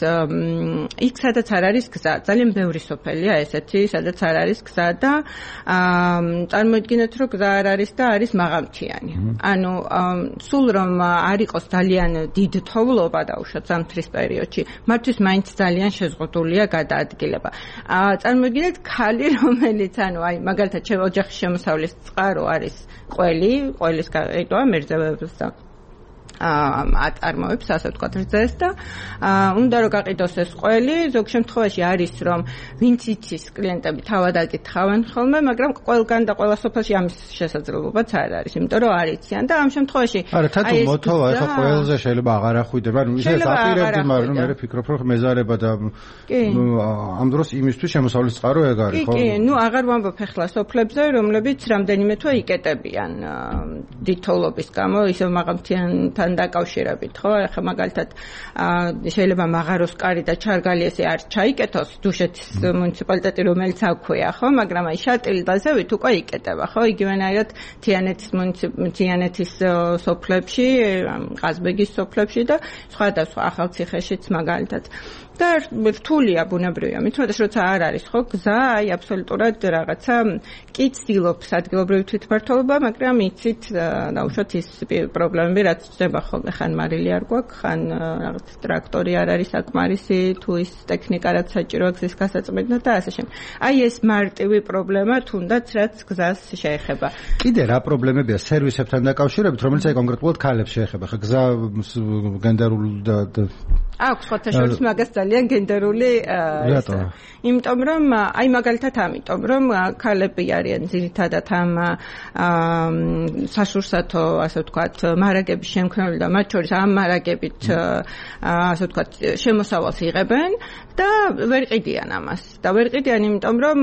იქ სადაც არ არის გზა, ძალიან ბევრი სოფელია ესეთი, სადაც არ არის გზა და წარმოიდგინეთ რომ გზა არ არის და არის მაღალმთიანი. ანუ სულ რომ არ იყოს ძალიან დიდ თოვლობა დაუშვათ ზამთრის პერიოდში, მათთვის მაინც ძალიან შეზღუდულია გადაადგილება. წარმოიდგინეთ ქალი, რომელიც ანუ აი მაგალითად ოჯახის შემოსავლის წყარო არის ყველი, ყველის გაყიდვა მერძევებს და აწარმოებს, ასე ვთქვათ, რძეს და უნდა რომ გაყიდოს ეს ყველი, ზოგ შემთხვევაში არის რომ ვინც იცის კლიენტები თავად აკითხავენ ხოლმე, მაგრამ ყველგან და ყველა სოფელში ამის შესაძლებლობაც არ არის, იმიტომ რომ არ იციან და ამ შემთხვევაში არა, თათო მოთოვა ახლა ყველზე შეიძლება აღარ ახვიდება, ანუ ისე აპირებდი, მაგრამ მე ვფიქრობ რომ მეზარება და ამ დროს იმისთვის შემოსავლის წყარო ეგ არის, ხო? კი, კი, ნუ აღარ ვამბობ ახლა სოფლებზე, რომლებიც რამდენიმე თვე იკეტებიან დიდ თოვლობის გამო, ისევ მაღალმთიან სისტემასთან დაკავშირებით, ხო? ახლა მაგალითად შეიძლება მაღაროს კარი და ჩარგალი ესე არ ჩაიკეთოს დუშეთის მუნიციპალიტეტი რომელიც აქვეა, ხო? მაგრამ აი შატილი და ზევით უკვე იკეტება, ხო? იგივენაირად თიანეთის თიანეთის სოფლებში, ყაზბეგის სოფლებში და სხვადასხვა ახალციხეშიც მაგალითად. და რთულია ბუნებრივია, მithmetes როცა არ არის ხო გზა, აი აბსოლუტურად რაღაცა კი ცდილობს ადგილობრივი თვითმმართველობა, მაგრამ იცით დაუშვათ ის პრობლემები, რაც ხდება ხოლმე, ხან მარილი არ გვაქვს, ხან რაღაც ტრაქტორი არ არის საკმარისი, თუ ის ტექნიკა რაც საჭიროა გზის გასაწმენდად და ასე შემდეგ. აი ეს მარტივი პრობლემა თუნდაც რაც გზას შეეხება. კიდე რა პრობლემებია სერვისებთან დაკავშირებით, რომელიც აი კონკრეტულად ქალებს შეეხება? ხა გზა გენდერულ და აქვს ხოთა შორის მაგას ძალიან გენდერული იმიტომ რომ აი მაგალითად ამიტომ რომ ქალები არიან ძირითადად ამ საშურსათო ასე ვთქვათ მარაგების შემქმნელი და მათ შორის ამ მარაგებით ასე ვთქვათ შემოსავალს იღებენ და ვერ ყიდიან ამას და ვერ ყიდიან იმიტომ რომ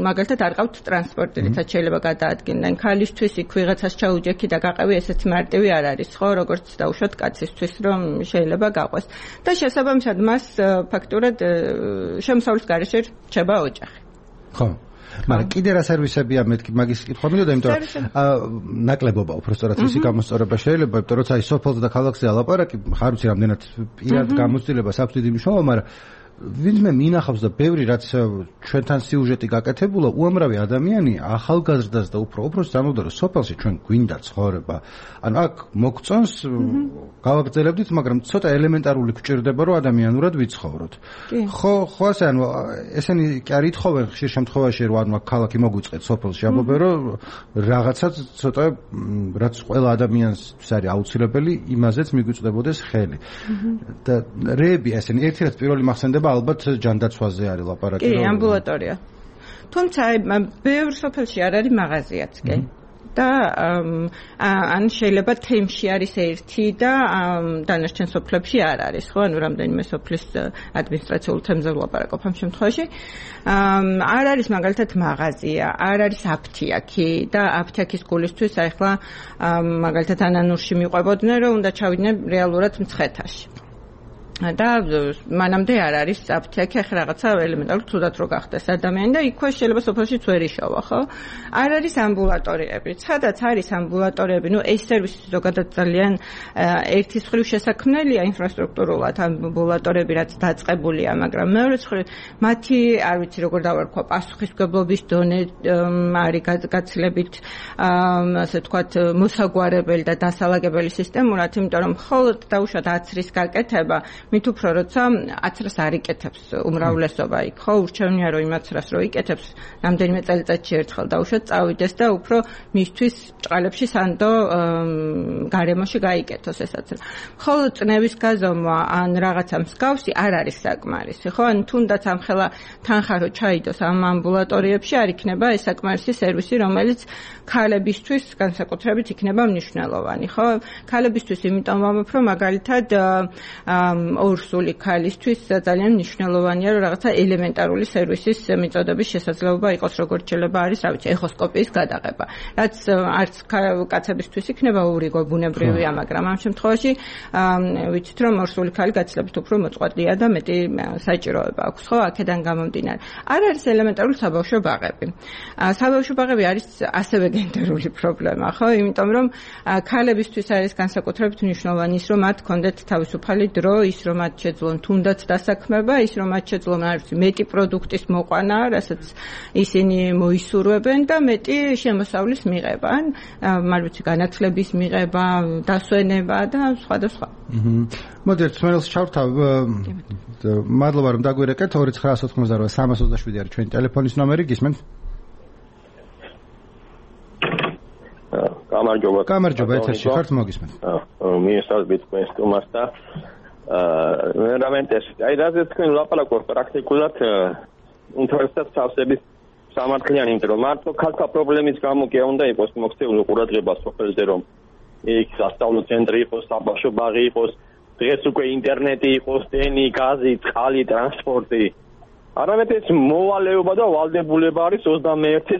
მაგალითად არ ყავთ ტრანსპორტი რითაც შეიძლება გადაადგინენ ქალისთვის იქ ვიღაცას ჩაუჯექი და გაყევი ესეთი მარტივი არ არის ხო როგორც დაუშვათ კაცისთვის რომ შეიძლება გაყვეს და შესაბამისად მას ფაქტურად შემოსავლის გარეშე რჩება ოჯახი. ხო. მაგრამ კიდე რა სერვისებია მეთქი მაგის კითხვა მინდოდა, იმიტომ რომ ნაკლებობა უბრალოდ ისე გამოსწორება შეიძლება, იმიტომ რომ აი სოფელზე და ქალაქზე ალაპარაკი, ხარ ვიცი რამდენად პირად გამოცდილება საფრთხე მნიშვნელობა, მაგრამ ვინმე მინახავს და ბევრი რაც ჩვენთან სიუჟეტი გაკეთებულა, უამრავი ადამიანი ახალგაზრდას და უფრო უფრო ზამთარ სოფელში ჩვენ გვინდა ცხოვრება. ანუ აქ მოგწონს გავაგრძელებდით, მაგრამ ცოტა ელემენტარული გვჭირდება რომ ადამიანურად ვიცხოვროთ. ხო, ხო ასე ანუ ესენი კი არ ითხოვენ ხშირ შემთხვევაში რომ ანუ ქალაქი მოგვიწყეთ სოფელში, ამბობენ რომ რაღაცა ცოტა რაც ყველა ადამიანს არის აუცილებელი, იმაზეც მიგვიწდებოდეს ხელი. და რეები ესენი ერთი რაც პირველი მახსენდება ალბათ ჯანდაცვაზე არის ლაპარაკი. კი, ამბულატორია. თუმცა აი ბევრ სოფელში არ არის მაღაზიაც, კი? და ან შეიძლება თემში არის ერთი და დანარჩენ სოფლებში არ არის, ხო? ანუ რამდენიმე სოფლის ადმინისტრაციულ თემზე ვლაპარაკობ ამ შემთხვევაში. არ არის მაგალითად მაღაზია, არ არის აფთიაქი და აფთიაქის გულისთვის აი ხლა მაგალითად ანანურში მიყვებოდნენ რომ უნდა ჩავიდნენ რეალურად მცხეთაში. და მანამდე არ არის აფთიაქი, ახლა რაღაცა ელემენტარულად თუდად რო გახდეს ადამიანი და იქვე შეიძლება სოფელშიც ვერ იშოვა, ხო? არ არის ამბულატორიები. სადაც არის ამბულატორიები, ნუ ეს სერვისი ზოგადად ძალიან ერთის მხრივ შესაქმნელია ინფრასტრუქტურულად ამბულატორიები, რაც დაწყებულია, მაგრამ მეორე მხრივ მათი არ ვიცი როგორ დავარქვა, პასუხისმგებლობის დონე არის გაცილებით ასე ვთქვათ მოსაგვარებელი და დასალაგებელი სისტემურად, იმიტომ რომ მხოლოდ დაუშვათ აცრის გაკეთება მით უფრო როცა აცრას არ იკეთებს უმრავლესობა იქ, ხო, ურჩევნია რომ იმ აცრას რო იკეთებს, რამდენიმე წელიწადში ერთხელ დაუშვათ წავიდეს და უფრო მისთვის ჭყალებში სანდო გარემოში გაიკეთოს ეს აცრა. მხოლოდ წნევის გაზომვა ან რაღაცა მსგავსი არ არის საკმარისი, ხო? ან თუნდაც ამხელა თანხა რო ჩაიდოს ამ ამბულატორიებში არ იქნება ეს საკმარისი სერვისი, რომელიც ქალებისთვის განსაკუთრებით იქნება მნიშვნელოვანი, ხო? ქალებისთვის იმიტომ ვამბობ, რომ მაგალითად ორსული ქალისთვის ძალიან მნიშვნელოვანია რომ რაღაცა ელემენტარული სერვისის მიწოდების შესაძლებლობა იყოს, როგორც შეიძლება არის, რა ვიცი, ეხოსკოპიის გადაღება. რაც არც კაცებისთვის იქნება ურიგო ბუნებრივია, მაგრამ ამ შემთხვევაში ვიცით რომ ორსული ქალი გაცილებით უფრო მოწყვლადია და მეტი საჭიროება აქვს, ხო, აქედან გამომდინარე. არ არის ელემენტარული საბავშვო ბაღები. საბავშვო ბაღები არის ასევე გენდერული პრობლემა, ხო? იმიტომ რომ ქალებისთვის არის განსაკუთრებით მნიშვნელოვანი ის, რომ მათ ჰქონდეთ თავისუფალი დრო, ის რომ მათ შეძლონ თუნდაც დასაქმება, ის რომ მათ შეძლონ არ ვიცი მეტი პროდუქტის მოყვანა, რასაც ისინი მოისურვებენ და მეტი შემოსავლის მიღება, ან არ ვიცი განათლების მიღება, დასვენება და სხვა და სხვა. აჰა. მოდი ერთ მერილს ჩავთავ. მადლობა რომ დაგვირეკეთ. ორი ცხრა ოთხმოცდაოთხ სამას ოცდაშვიდი არის ჩვენი ტელეფონის ნომერი, გისმენთ? გამარჯობა. გამარჯობა, ეთერში ხართ, მოგისმენთ. მიესალმებით თქვენ სტუმარს და აა რამენტეს აი რაზეც თქვენ ლაპარაკობთ პრაქტიკულად ინტერესად თავსების სამართლიანი, იმიტომ რომ მარტო ქალთა პრობლემის გამო კი უნდა იყოს მოქცეული ყურადღება სოფელზე, რომ იქ სასწავლო ცენტრი იყოს, საბავშვო ბაღი იყოს, დღეს უკვე ინტერნეტი იყოს, ტენი, გაზი, წყალი, ტრანსპორტი. არამედ ეს მოვალეობა და ვალდებულება არის ოცდამეერთე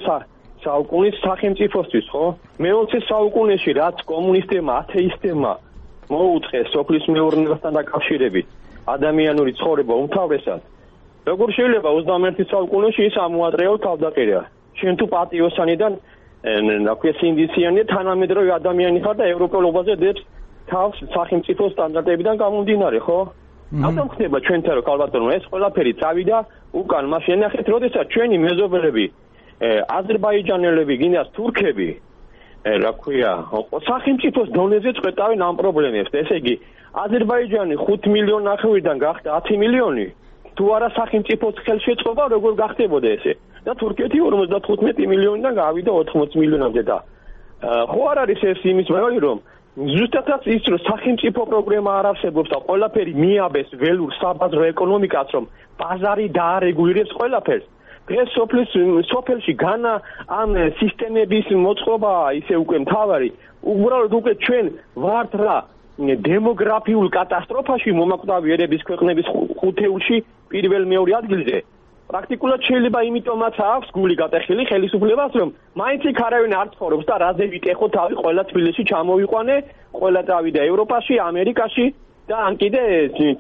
საუკუნის სახელმწიფოსთვის, ხო? მეოცე საუკუნეში რაც კომუნისტებმა, ათეისტებმა მოუწყეს სოფლის მეურნეობასთან დაკავშირებით ადამიანური ცხოვრება უმთავრესად. როგორ შეიძლება ოცდამეერთე საუკუნეში ის ამოატრეო თავდაყირა. შენ თუ პატიოსანიდან ნაკვე სინდისიანი თანამედროვე ადამიანი ხარ და ევროპელობაზე დებს თავს სახელმწიფო სტანდარტებიდან გამომდინარე, ხო? ამიტომ ხდება ჩვენთან რომ ქალბატონო ეს ყველაფერი წავიდა უკან, მაშინ ნახეთ, როდესაც ჩვენი მეზობლები, აზერბაიჯანელები, გინდას თურქები, რა ქვია, სახელმწიფოს დონეზე წვეტავენ ამ პრობლემებს. ესე იგი, აზერბაიჯანი ხუთ მილიონი ნახევრიდან გახდა ათი მილიონი. თუ არა სახელმწიფოს ხელშეწყობა, როგორ გახდებოდა ესე? და თურქეთი ორმოცდათხუთმეტი მილიონიდან გავიდა ოთხმოცდაათი მილიონამდე და ხო არ არის ეს იმის მაგალითი რომ ზუსტადაც ის რომ სახელმწიფო პროგრამა არ არსებობს და ყველაფერი მიაბეს ველურ საბაზრო ეკონომიკას რომ ბაზარი დაარეგულირებს ყველაფერს დღეს სოფლის სოფელში განა ამ სისტემების მოწყობა ისე უკვე მთავარი უბრალოდ უკვე ჩვენ ვართ რა დემოგრაფიულ კატასტროფაში მომაკვდავი ერების ქვეყნების ხუთეულში პირველ მეორე ადგილზე პრაქტიკულად შეიძლება იმიტომაც აქვს გული გატეხილი ხელისუფლებას რომ მაინც იქ არავინ არ ცხოვრობს და რაზე ვიკეხო თავი ყველა თბილისში ჩამოვიყვანე ყველა წავიდა ევროპაში ამერიკაში და ან კიდე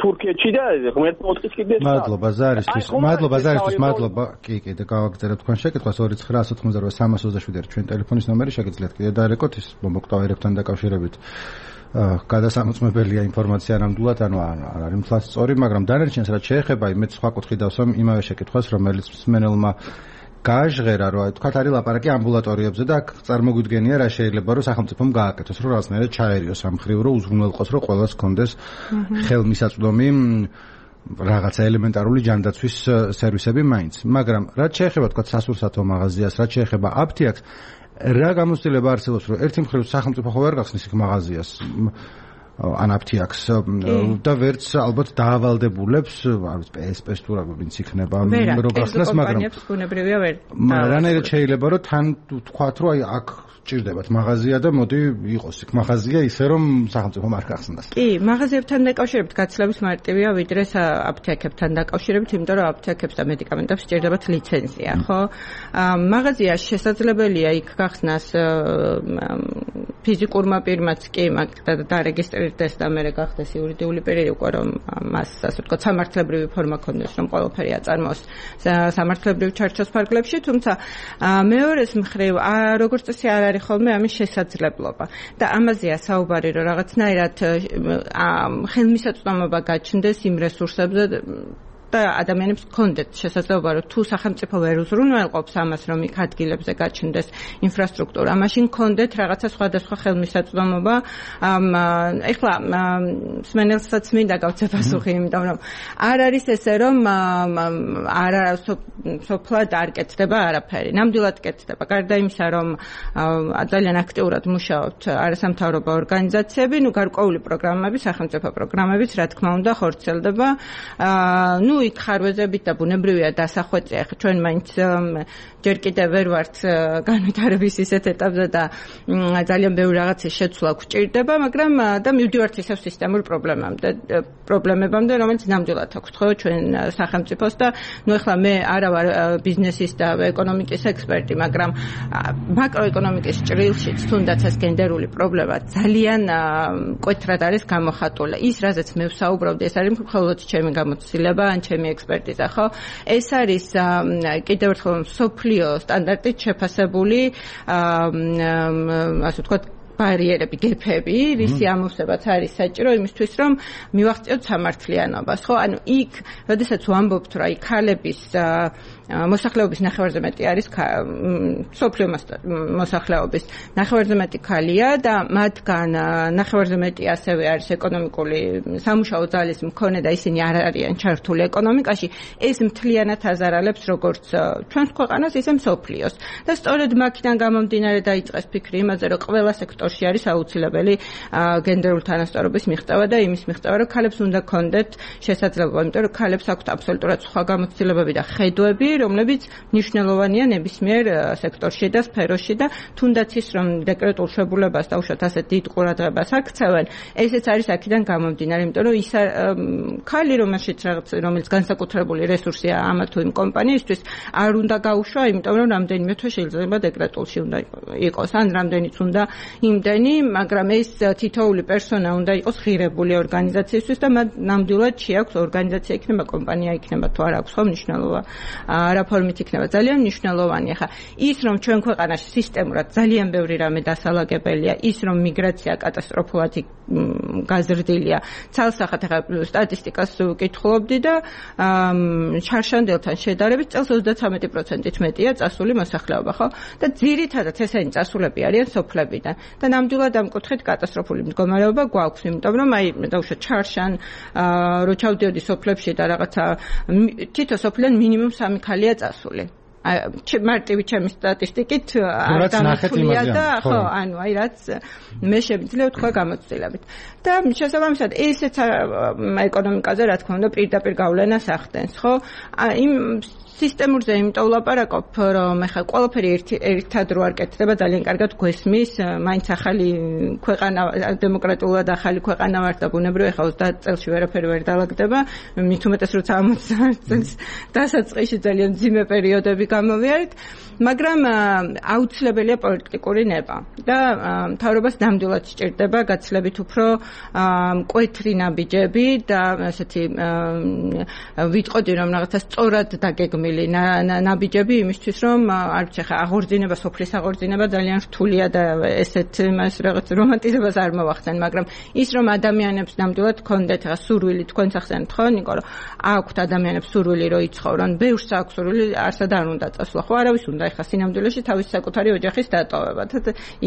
თურქეთში და ღმერთმა ოთხის კიდე მადლობა ზარისთვის მადლობა ზარისთვის მადლობა კი კი და გავაგზავნე თქვენ შეკითხვას ორი ცხრა ათი ოცდაოთხ სამას ოცდაშვიდი ჩვენ ტელეფონის ნომერი შეგიძლიათ კიდე დაარეკოთ ის მომოკვდავ ერებთან დაკავშირებით გადასამოწმებელია ინფორმაცია ნამდვილად ანუ არ არის მთლად სწორი მაგრამ დანარჩენს რაც შეეხება მე სხვა კუთხით დავსვამ იმავე შეკითხვას რომელიც მსმენელმა გააჟღერა რომ თქვათ არის ლაპარაკი ამბულატორიებზე და წარმოგვიდგენია რა შეიძლება რომ სახელმწიფომ გააკეთოს რომ რაღაცნაირად ჩაერიოს ამ ხრივ რომ უზრუნველყოს რომ ყველას კონდეს ხელმისაწვდომი რაღაცა ელემენტარული ჯანდაცვის სერვისები მაინც მაგრამ რაც შეეხება თქვათ სასურსათო მაღაზიას რაც შეეხება აფთიაქს რა გამოცდილება არსებობს რომ ერთი მხრივ სახელმწიფო ხო არ გახსნის იქ მაღაზიას ან აფთიაქს და ვერც ალბათ დაავალდებულებს არის პსპ-ს თუ რა ვინც იქნება რო გახსნას მაგრამ ბუნებრივია ვერ რანაირად შეიძლება რომ თან თქვათ რომ აი აქ ჭირდებათ მაღაზია და მოდი იყოს იქ მაღაზია ისე რომ სახელმწიფომ არ გახსნას კი მაღაზიებთან დაკავშირებით გაცილებით მარტივია ვიდრე აფთიაქებთან დაკავშირებით იმიტომ რომ აფთიაქებს და მედიკამენტებს სჭირდებათ ლიცენზია ხო მაღაზია შესაძლებელია იქ გახსნას ფიზიკურმა პირმაც კი მაგრამ დარეგისტრირდეს და მე გახდეს იურიდიული პირი უკვე რომ მას ასე ვთქვათ სამართლებრივი ფორმა ქონდეს რომ ყველაფერი აწარმოოს სამართლებრივ ჩარჩოს ფარგლებში თუმცა მეორეს მხრივ როგორც წესი არ არის ხოლმე ამის შესაძლებლობა და ამაზეა საუბარი რომ რაღაცნაირად ხელმისაწვდომობა გაჩნდეს იმ რესურსებზე და ადამიანებს გქონდეთ შესაძლებლობა რომ თუ სახელმწიფო ვერ უზრუნველყოფს ამას რომ იქ ადგილებზე გაჩნდეს ინფრასტრუქტურა მაშინ გქონდეთ რაღაცა სხვადასხვა ხელმისაწვდომობა ეხლა სმენელსაც მინდა გავცე პასუხი იმიტომ რომ არ არის ესე რომ არა სოფლად არ კეთდება არაფერი ნამდვილად კეთდება გარდა იმისა რომ ძალიან აქტიურად მუშაობთ არასამთავრობო ორგანიზაციები ნუ გარკვეული პროგრამები სახელმწიფო პროგრამებიც რა თქმა უნდა ხორციელდება ნუ იქ ხარვეზებით და ბუნებრივია დასახვეწია ხო ჩვენ მაინც ჯერ კიდევ ვერ ვართ განვითარების ისეთ ეტაპზე და ძალიან ბევრი რაღაცის შეცვლა გვჭირდება მაგრამ და მივდივართ ისევ სისტემურ პრობლემამდე პრობლემებამდე რომელიც ნამდვილად აქვს ხო ჩვენ სახელმწიფოს და ნუ ეხლა მე არა ვარ ბიზნესის და ეკონომიკის ექსპერტი მაგრამ მაკროეკონომიკის ჭრილშიც თუნდაც ეს გენდერული პრობლემა ძალიან მკვეთრად არის გამოხატული ის რაზეც მე ვსაუბრობდი ეს არის მხოლოდ ჩემი გამოცდილება ან ჩემი ექსპერტიზა ხო ეს არის კიდევ ერთხელ სოფლიო სტანდარტით შეფასებული ასე ვთქვათ ბარიერები, გეფები, რისი ამოვსებაც არის საჭირო იმისთვის, რომ მივახციოთ სამართლიანობას, ხო? ანუ იქ, როდესაც ვამბობთ, რომ აი ქალების მოსახლეობის ნახევარზე მეტი არის სოფლიო მოსახლეობის ნახევარზე მეტი ქალია და მათგან ნახევარზე მეტი ასევე არის ეკონომიკური სამუშაო ძალის მქონე და ისინი არ არიან ჩართული ეკონომიკაში, ეს მთლიანად აზარალებს როგორც ჩვენს ქვეყანას, ისე მსოფლიოს. და სწორედ მაქედან გამომდინარე დაიწყეს ფიქრი იმაზე, რომ ყველა სექტორში არის აუცილებელი გენდერული თანასწორობის მიღწევა და იმის მიღწევა, რომ ქალებს უნდა ქონდეთ შესაძლებლობა, იმიტომ რომ ქალებს აქვთ აბსოლუტურად სხვა გამოცდილებები და ხედვები, რომლებიც მნიშვნელოვანია ნებისმიერ სექტორში და სფეროში და თუნდაც ის რომ დეკრეტულ შებულებას დაუშვათ ასეთ დიდ ყურადღებას აქცევენ, ესეც არის აქედან გამომდინარე, იმიტომ რომ ის ქალი რომელშიც რაღაც რომელიც განსაკუთრებული რესურსია ამა თუ იმ კომპანიისთვის არ უნდა გაუშვა, იმიტომ რომ რამდენიმე თვე შეიძლება დეკრეტულში უნდა იყოს, ან რამდენიც უნდა იმდენი, მაგრამ ეს თითოეული პერსონა უნდა იყოს ღირებული ორგანიზაციისთვის და მათ ნამდვილად შეაქვს ორგანიზაცია იქნება, კომპანია იქნება თუ არ აქვს, ხო მნიშვნელობა. რა ფორმით იქნება, ძალიან მნიშვნელოვანია. ხა ის რომ ჩვენ ქვეყანაში სისტემურად ძალიან ბევრი რამე დასალაგებელია, ის რომ მიგრაცია კატასტროფულად გაზრდილია. ცალსახად ხა სტატისტიკას ვკითხულობდი და შარშანდელთან შედარებით წელს ოცდათრამეტი პროცენტით მეტია წასული მოსახლეობა, ხო? და ძირითადად ესენი წასულები არიან სოფლებიდან. და ნამდვილად ამ კუთხით კატასტროფული მდგომარეობა გვაქვს, იმიტომ რომ აი დაუშვათ ჩარშან რო ჩავდიოდი სოფლებში და რაღაცა თითო სოფლიდან მინიმუმ სამი ქალია წასული. მარტივი ჩემი სტატისტიკით არ დამოწმულია და ხო, ანუ აი რაც მე შემიძლია ვთქვა გამოცდილებით. და შესაბამისად ესეც ეკონომიკაზე რა თქმა უნდა პირდაპირ გავლენას ახდენს, ხო? იმ სისტემურზე იმიტომ ვლაპარაკობ, რომ ეხლა ყველაფერი ერთად რო არ კეთდება, ძალიან კარგად გვესმის, მაინც ახალი ქვეყანა, დემოკრატიულად ახალი ქვეყანა ვართ და ბუნებრივია ეხლა ოცდაათ წელში ვერაფერი ვერ დაალაგდება, მით უმეტეს როცა ორმოცდაათ წელს დასაწყისში ძალიან მძიმე პერიოდები გამოვიარეთ, მაგრამ აუცილებელია პოლიტიკური ნება და მთავრობას ნამდვილად სჭირდება გაცილებით უფრო მკვეთრი ნაბიჯები და ასეთი ვიტყოდი რომ რაღაცა სწორად დაგეგმილი ნაბიჯები იმისთვის რომ არ ვიცი ხა აღორძინება სოფლის აღორძინება ძალიან რთულია და ესეთ მას რაღაც რომანტიზებას არ მოვახსენ, მაგრამ ის რომ ადამიანებს ნამდვილად ჰქონდეთ ხა სურვილი, თქვენც ახსენეთ ხო ნიკოლო, აქვთ ადამიანებს სურვილი რომ იცხოვრონ, ბევრს აქვს სურვილი, არსად არ უნდა წასვლა, ხო არავის უნდა ეხა სინამდვილეში თავის საკუთარი ოჯახის დატოვება.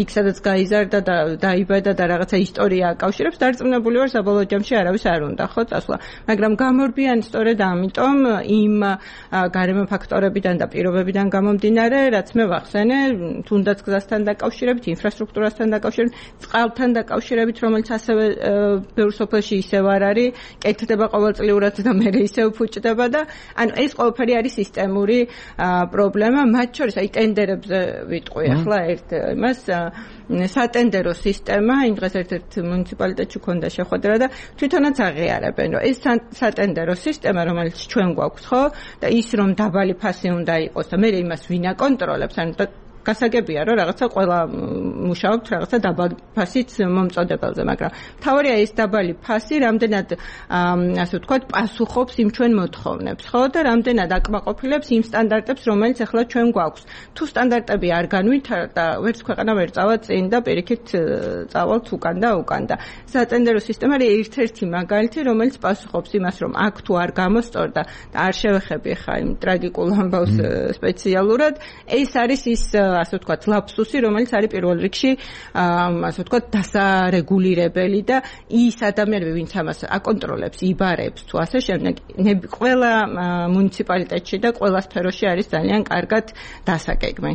იქ სადაც გაიზარდა და დაიბადა და რაღაცა ისტორია აკავშირებს, დარწმუნებული ვარ საბოლოო ჯამში არავის არ უნდა ხო წასვლა, მაგრამ გამორბიან სწორედ ამიტომ იმ გარემო ფაქტორებიდან და პირობებიდან გამომდინარე, რაც მე ვახსენე, თუნდაც გზასთან დაკავშირებით, ინფრასტრუქტურასთან დაკავშირებით, წყალთან დაკავშირებით, რომელიც ასევე ბევრ სოფელში ისევ არ არის, კეთდება ყოველწლიურად და მე ისევ ფუჭდება და ანუ ეს ყველაფერი არის სისტემური პრობლემა, მათ შორის აი ტენდერებზე ვიტყვი ახლა ერთ იმას სატენდერო სისტემა, იმ დღეს ერთ-ერთ მუნიციპალიტეტში ქონდა შეხვედრა და თვითონაც აღიარებენ, რომ ეს სატენდერო სისტემა, რომელიც ჩვენ გვაქვს, ხო, და ის რომ დაბალი ფასი უნდა იყოს და მე იმას ვინ აკონტროლებს, ანუ გასაგებია რომ რაღაცა ყველა მუშაობთ რაღაცა დაბალი ფასით მომწოდებელზე, მაგრამ თავარია ეს დაბალი ფასი რამდენად ასე ვთქვათ პასუხობს იმ ჩვენ მოთხოვნებს, ხო და რამდენად აკმაყოფილებს იმ სტანდარტებს, რომელიც ახლა ჩვენ გვაქვს. თუ სტანდარტები არ განვითარდა, ვერც ქვეყანა ვერ წავა წინ და პირიქით წავალთ უკან და უკან და სატენდერო სისტემა არის ერთ-ერთი მაგალითი, რომელიც პასუხობს იმას, რომ აქ თუ არ გამოსწორდა და არ შევეხები ხა იმ ტრაგიკულ ამბავს სპეციალურად, ეს არის ის ასე ვთქვათ ლაფსუსი, რომელიც არის პირველ რიგში ასე ვთქვათ დასარეგულირებელი და ის ადამიანები, ვინც ამას აკონტროლებს, იბარებს თუ ასე შემდეგ, ყველა მუნიციპალიტეტში და ყველა სფეროში არის ძალიან კარგად დასაგეგმი.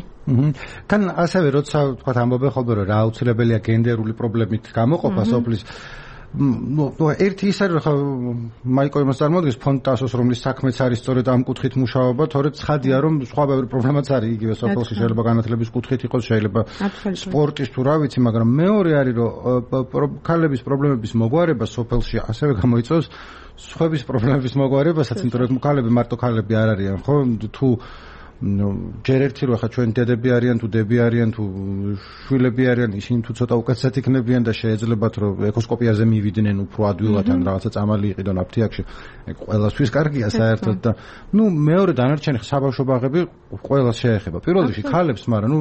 თან ასევე როცა ვთქვათ ამბობენ ხოლმე რომ რა აუცილებელია გენდერული პრობლემით გამოყოფა სოფლის ну, ერთი ის არის ხა მაიკო იმას წარმოადგენს ფონდ ტასოს რომლის საქმეც არის სწორედ ამ კუთხით მუშაობა, თორედ ცხადია რომ სხვა ბევრი პრობლემაც არის იგივე სოფელში, შეიძლება განათლების კუთხით იყოს, შეიძლება სპორტის თუ რა ვიცი, მაგრამ მეორე არის რომ ქალების პრობლემების მოგვარება სოფელში ასევე გამოიწვევს სხვების პრობლემების მოგვარებასაც, იმიტომ რომ ქალები მარტო ქალები არ არიან, ხო, თუ ჯერ ერთი რო ხა ჩვენ დედები არიან თუ დები არიან თუ შვილები არიან, ისინი თუ ცოტა უკეთესად იქნებიან და შეეძლებათ რომ ეკოსკოპიაზე მივიდნენ უფრო ადვილად ან რაღაცა წამალი იყიდონ აფთიაქში, ყველასთვის კარგია საერთოდ და ნუ მეორე დანარჩენი საბავშვო ბაღები ყველას შეეხება. პირველ რიგში ქალებს, მაგრამ ნუ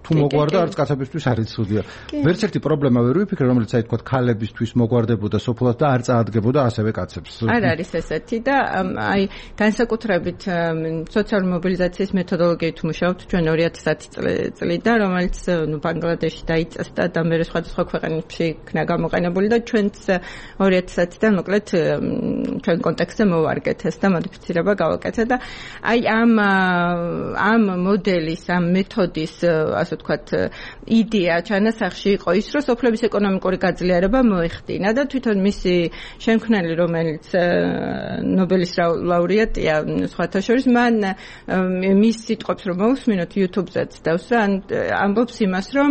თუ მოგვარდა არც კაცებისთვის არ იცოდია. ვერც ერთი პრობლემა ვერ ვიფიქრე, რომელიც აი თქვა ქალებისთვის მოგვარდებოდა სოფლად და არ წაადგებოდა ასევე კაცებს. არ არის ესეთი და აი განსაკუთრებით სოციალური მობილიზაციის მეთოდოლოგიით მუშაობთ ჩვენ ორი ათი წლიდან, რომელიც ნუ ბანგლადეში დაიწესდა და მე სხვადასხვა ქვეყნებში იქნა გამოყენებული და ჩვენც ორი ათიდან მოკლედ ჩვენ კონტექსტზე მოვარგეთ ეს და მოდიფიცირება გავაკეთეთ და აი ამ ამ მოდელის, ამ მეთოდის ასე ვთქვათ, იდეა ჩანასახში იყო ის, რომ სოფლების ეკონომიკური გაძლიერება მოეხდინა და თვითონ მისი შემქმნელი, რომელიც ნობელის ლაურეატია, სხვათა შორის, მან მის სიტყვებს რომ მოусმინოთ YouTube-ზეც დავს რა, ამბობს იმას, რომ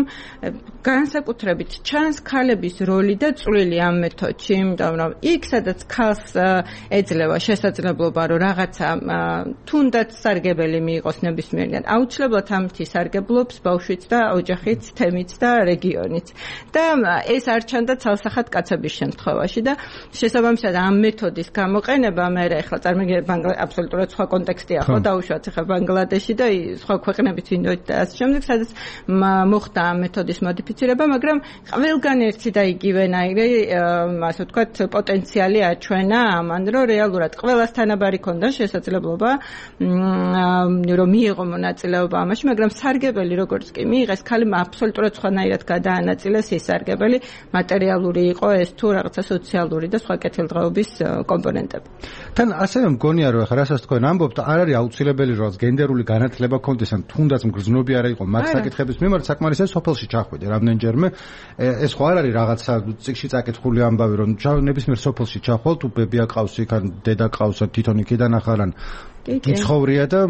განსაკუთრებით ჩანს ქალების როლი და წვლილი ამ მეთოდში, იმიტომ რომ იქ, სადაც ქალს ეძლევა შესაძლებლობა, რომ რაღაცა თუნდაც სარგებელი მიიღოს ნებისმიერიდან, აუცილებლად ამითი სარგებლობს ბავშვიც და ოჯახიც, თემიც და რეგიონიც. და ეს არ ჩანდა ცალსახად კაცების შემთხვევაში და შესაბამისად ამ მეთოდის გამოყენება მე ახლა წარმოგიდგენთ აბსოლუტურად სხვა კონტექსტია ხო დაუშვათ ახლა ბანგლადეში და სხვა ქვეყნებით ინდოეთ და ასე შემდეგ, სადაც მოხდა ამ მეთოდის მოდიფიცირება, მაგრამ ყველგან ერთი და იგივენაირი ასე ვთქვათ პოტენციალი აჩვენა ამან, რომ რეალურად ყველას თანაბარი ქონდა შესაძლებლობა რომ მიიღო მონაწილეობა ამაში, მაგრამ სარგებელი როგორც კი მიიღეს, ქალი აბსოლუტურად სხვანაირად გადაანაწილეს ეს სარგებელი, მატერიალური იყო ეს თუ რაღაცა სოციალური და სხვა კეთილდღეობის კომპონენტები. თან ასევე მგონია რომ ახლა რასაც თქვენ ამბობთ, არ არის აუცილებელი რომ გენდერული განათლება კონდეს, ან თუნდაც მგრძნობი არ იყო მათ საკითხების მიმართ, საკმარისია სოფელში ჩახვიდე რამდენჯერმე. ეს ხო არ არის რაღაცა წიგში წაკითხული ამბავი, რომ ნებისმიერ სოფელში ჩახვალ, თუ ბებია ყავს იქ, ან დედა ყავს, თვითონ იქიდან ახალან იცხოვრია და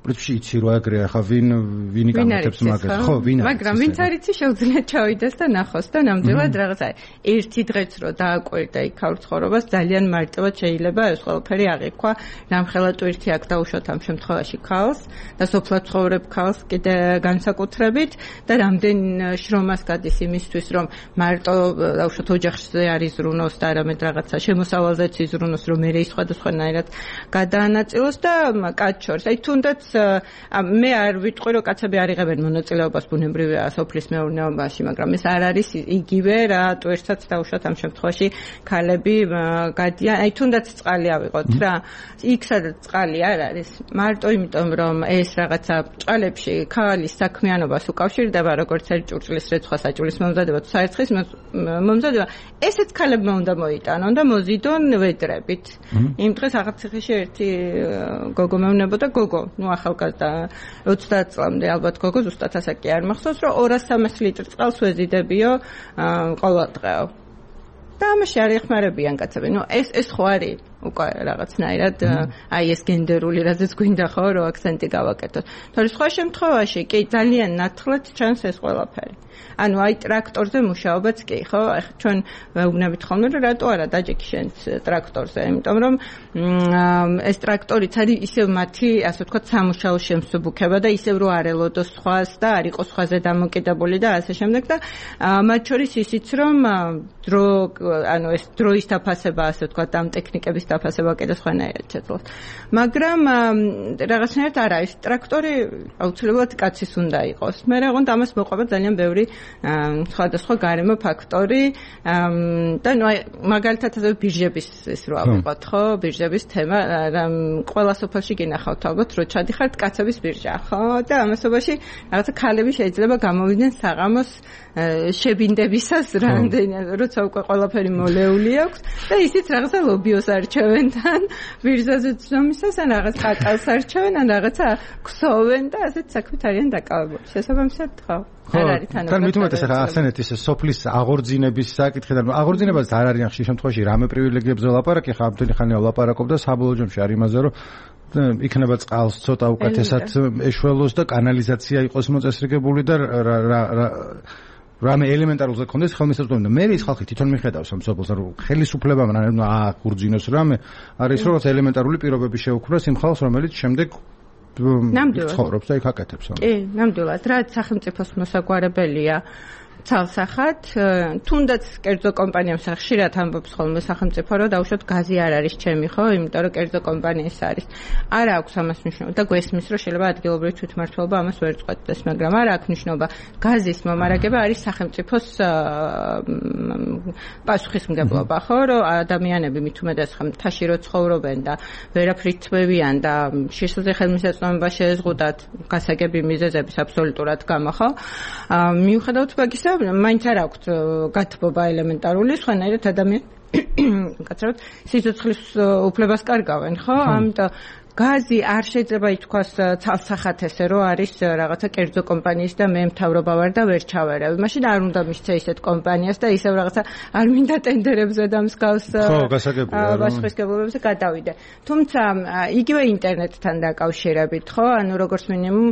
პრინციპში იცი რომ აგრე ახლა ვინ ვინი გამართებს მაგას, ხო, ვინ არის. მაგრამ ვინც არ იცი შეუძლია ჩავიდეს და ნახოს და ნამდვილად რაღაცა ერთი დღეც რო დააკვირდა იქ ქალ ცხოვრებას, ძალიან მარტივად შეიძლება ეს ყველაფერი აღიქვა. რამხელა ტვირთი აქ დაუშვათ ამ შემთხვევაში ქალს და სოფლად ცხოვრებ ქალს კიდე განსაკუთრებით და რამდენ შრომას გადის იმისთვის, რომ მარტო დაუშვათ ოჯახზე არ იზრუნოს და არამედ რაღაცა შემოსავალზეც იზრუნოს, რომ მე ის სხვადასხვანაირად გადაანაწილოს და კაც შორს. აი თუნდაც მე არ ვიტყვი რომ კაცები არ იღებენ მონაწილეობას ბუნებრივია სოფლის მეურნეობაში, მაგრამ ეს არ არის იგივე რა ტვირთსაც დაუშვათ ამ შემთხვევაში ქალები გადიან. აი თუნდაც წყალი ავიღოთ რა, იქ სადაც წყალი არ არის, მარტო იმიტომ რომ ეს რაღაცა ჭალებში ქალის საქმიანობას უკავშირდება, როგორც ერთ ჭურჭლის რეცხვა საჭულის მომზადება თუ საერცხლის მომზადება, ესეც ქალებმა უნდა მოიტანონ და მოზიდონ ვედრებით. იმ დღეს აღაციხეში ერთი გოგო მეუნებოდა, გოგო, ნუ ახალგაზრდა ოცდაათ წლამდე ალბათ გოგო, ზუსტად ასაკი არ მახსოვს, რომ ორასი სამასი ლიტრი წყალს ვეზიდებიო ყოველ დღეო. და ამაში არ ეხმარებიან კაცები. ნუ ეს ეს ხო არის უკვე რაღაცნაირად აი ეს გენდერული რაზეც გვინდა ხო რომ აქცენტი გავაკეთოთ. თორე სხვა შემთხვევაში კი ძალიან ნათლად ჩანს ეს ყველაფერი. ანუ აი ტრაქტორზე მუშაობაც კი ხო, ახლა ჩვენ ვეუბნებით ხოლმე რომ რატო არა დაჯექი შენ ტრაქტორზე, იმიტომ რომ ეს ტრაქტორიც არის ისევ მათი ასე ვთქვათ სამუშაო შემსუბუქება და ისევ რო არ ელოდოს სხვას და არ იყოს სხვაზე დამოკიდებული და ასე შემდეგ და მათ შორის ისიც რომ დრო ანუ ეს დროის დაფასება ასე ვთქვათ ამ ტექნიკების დაფასება კიდე სხვანაირად შეძლოს. მაგრამ რაღაცნაირად არა, ეს ტრაქტორი აუცილებლად კაცის უნდა იყოს. მე რაღაცა ამას მოყვება ძალიან ბევრი სხვადასხვა გარემო ფაქტორი და ნუ აი მაგალითად ასე ბირჟების ის რო ავიღოთ ხო, ბირჟების თემა, ყველა სოფელში გინახავთ ალბათ რო ჩადიხართ კაცების ბირჟა ხო და ამასობაში რაღაცა ქალები შეიძლება გამოვიდნენ საღამოს შებინდებისას რამდენი როცა უკვე ყველაფერი მოლეული აქვს და ისიც რაღაცა ლობიოს არჩევენ თან ბირჟაზე ცნობისას ან რაღაც კაკალს არჩევენ ან რაღაცა ქსოვენ და ასეთ საქმით არიან დაკავებული. შესაბამისად ხო არ არის თანაბარი. თან მით უმეტეს ახლა ახსენეთ ის სოფლის აღორძინების საკითხიდან, აღორძინებას არ არის ხშირ შემთხვევაში რამე პრივილეგიებზე ლაპარაკი, ხა ამდენი ხანია ლაპარაკობ და საბოლოო ჯამში არის იმაზე რომ იქნება წყალს ცოტა უკეთესად ეშველოს და კანალიზაცია იყოს მოწესრიგებული და რამე ელემენტარულზე კონდეს ხელმისაწვდომი და მე ის ხალხი თვითონ მიხედავს ამ სოფელს რომ ხელისუფლებამ ააღურძინოს რამე არის რომ ელემენტარული პირობები შეუქმნას იმ ხალხს რომელიც შემდეგ ცხოვრობს და იქ აკეთებს. კი, ნამდვილად, რაც სახელმწიფოს მოსაგვარებელია ცალსახად, თუნდაც კერძო კომპანიამ ხშირად ამბობს ხოლმე სახელმწიფო რომ დაუშვათ გაზი არ არის ჩემი ხო, იმიტომ რომ კერძო კომპანიის არის. არ აქვს ამას მნიშვნელობა და გვესმის რომ შეიძლება ადგილობრივი თვითმმართველობა ამას ვერ წყვეტდეს, მაგრამ არ აქვს მნიშვნელობა. გაზის მომარაგება არის სახელმწიფოს პასუხისმგებლობა ხო, რომ ადამიანები მით უმეტეს ხომ მთაში რო ცხოვრობენ და ვერაფრით თმევიან და შესაძლოა ხელმისაწვდომობა შეეზღუდათ გასაგები მიზეზების აბსოლუტურად გამო ხო. მიუხედავად მაგისა მაინც არ აქვს გათბობა ელემენტარული, სხვანაირად ადამიანი კაცრავად სიცოცხლის უფლებას კარგავენ, ხო? ამიტომ გაზი არ შეიძლება ითქვას ცალსახად ესე რომ არის რაღაცა კერძო კომპანიის და მე მთავრობა ვარ და ვერ ჩავერევ. მაშინ არ უნდა მისცე ისეთ კომპანიას და ისევ რაღაცა არ მინდა ტენდერებზე და მსგავს ბაშხისგებლობებზე გადავიდე. თუმცა იგივე ინტერნეტთან დაკავშირებით, ხო? ანუ როგორც მინიმუმ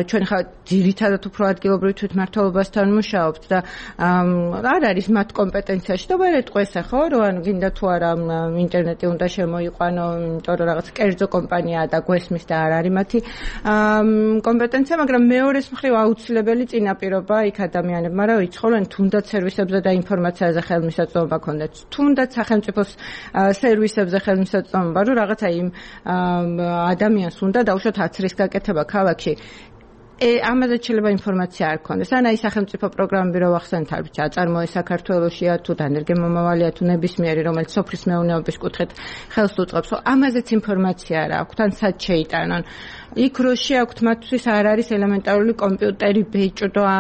ჩვენ ხა ძირითადად უფრო ადგილობრივ თვითმმართველობასთან მუშაობთ და არ არის მათ კომპეტენციაში და ვერ ეტყვეს ხო, რომ ანუ გინდა თუ არა ინტერნეტი უნდა შემოიყვანო, იმიტომ რომ რაღაც კერძო კომპანიაა და გვესმის და არ არის მათი კომპეტენცია, მაგრამ მეორეს მხრივ აუცილებელი წინაპირობა იქ ადამიანებმა რა იცხოვენ, თუნდაც სერვისებზე და ინფორმაციაზე ხელმისაწვდომობა ქონდეთ, თუნდაც სახელმწიფოს სერვისებზე ხელმისაწვდომობა, რომ რაღაცა იმ ადამიანს უნდა დაუშვათ აცრის გაკეთება ქალაქში. ამაზე შეიძლება ინფორმაცია არ ქონდეს. ან აი სახელმწიფო პროგრამები რო ახსენეთ, არ ვიცი, აწარმოე საქართველოშია თუ დანერგემომავალია თუ ნებისმიერი, რომელიც სოფლის მეურნეობის კუთხით ხელს უწყობს, ამაზეც ინფორმაცია არ აქვს, თან სად შეიტანონ. იქ რო შეაქვთ მათთვის არ არის ელემენტარული კომპიუტერი, ბეჭდვა,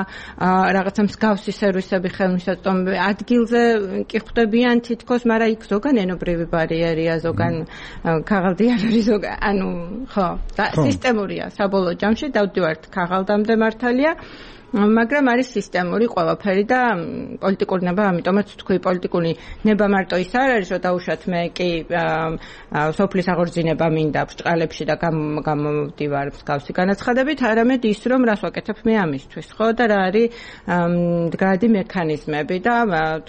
რაღაცა მსგავსი სერვისები ხელმისაწვდომები. ადგილზე კი ხვდებიან თითქოს, მაგრამ იქ ზოგან ენობრივი ბარიერია, ზოგან ქაღალდი არ არის, ზოგან ანუ ხო, და სისტემურია საბოლოო ჯამში დავდივართ ქაღალდამდე მართალია. მაგრამ არის სისტემური ყველაფერი და პოლიტიკური ნება, ამიტომაც თქვი პოლიტიკური ნება მარტო ის არ არის, რომ დაუშვათ მე კი სოფლის აღორძინება მინდა ბრჭყალებში და გამოვდივარ მსგავსი განაცხადებით, არამედ ის რომ რას ვაკეთებ მე ამისთვის, ხო და რა არის მდგრადი მექანიზმები და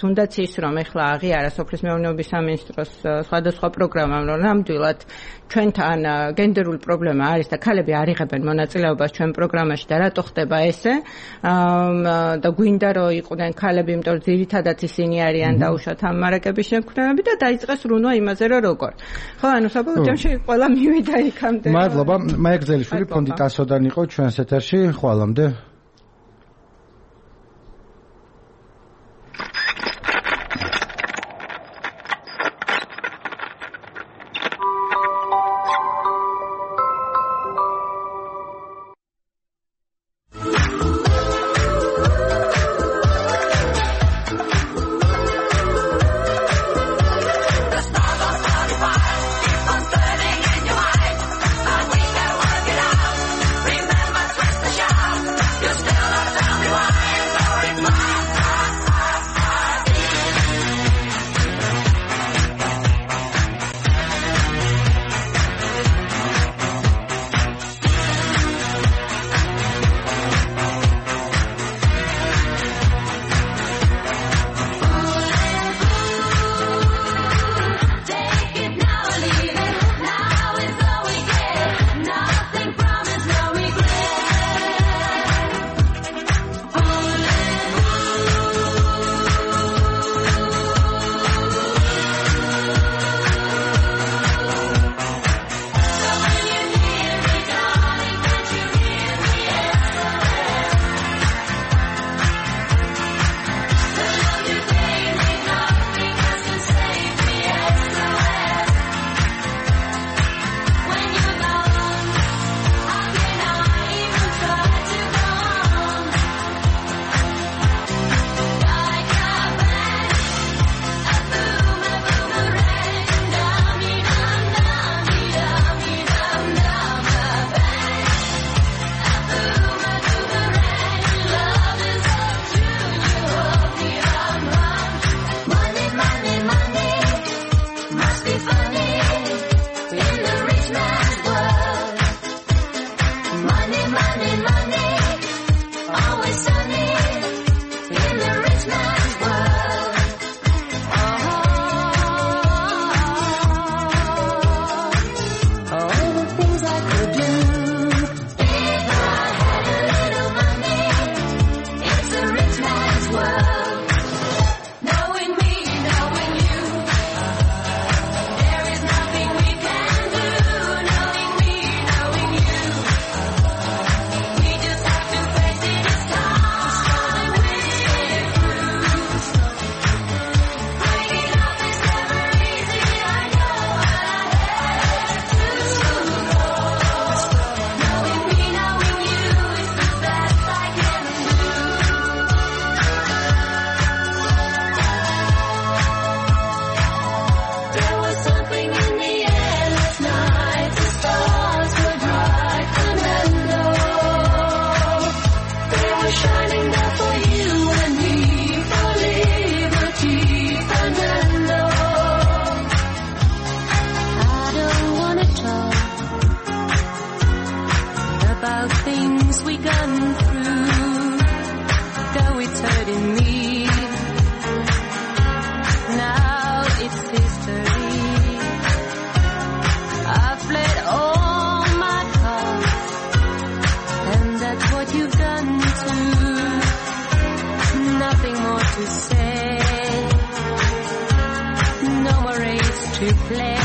თუნდაც ის რომ ეხლა აღიარა სოფლის მეურნეობის სამინისტროს სხვადასხვა პროგრამა, რომ ნამდვილად ჩვენთან გენდერული პრობლემა არის და ქალები არ იღებენ მონაწილეობას ჩვენ პროგრამაში და რატო ხდება ესე? და გვინდა რომ იყვნენ ქალები, იმიტომ რომ ძირითადად ისინი არიან დაუშვათ ამ მარაკების შემქმნელები და დაიწყეს რუნვა იმაზე რომ როგორ. ხო, ანუ საბოლოო ჯამში ყველა მივიდა იქამდე. მადლობა. მაია გრძელიშვილი ფონდი ტასოდან იყო ჩვენს ეთერში. ხვალამდე. You're nothing more to say. No more race to play.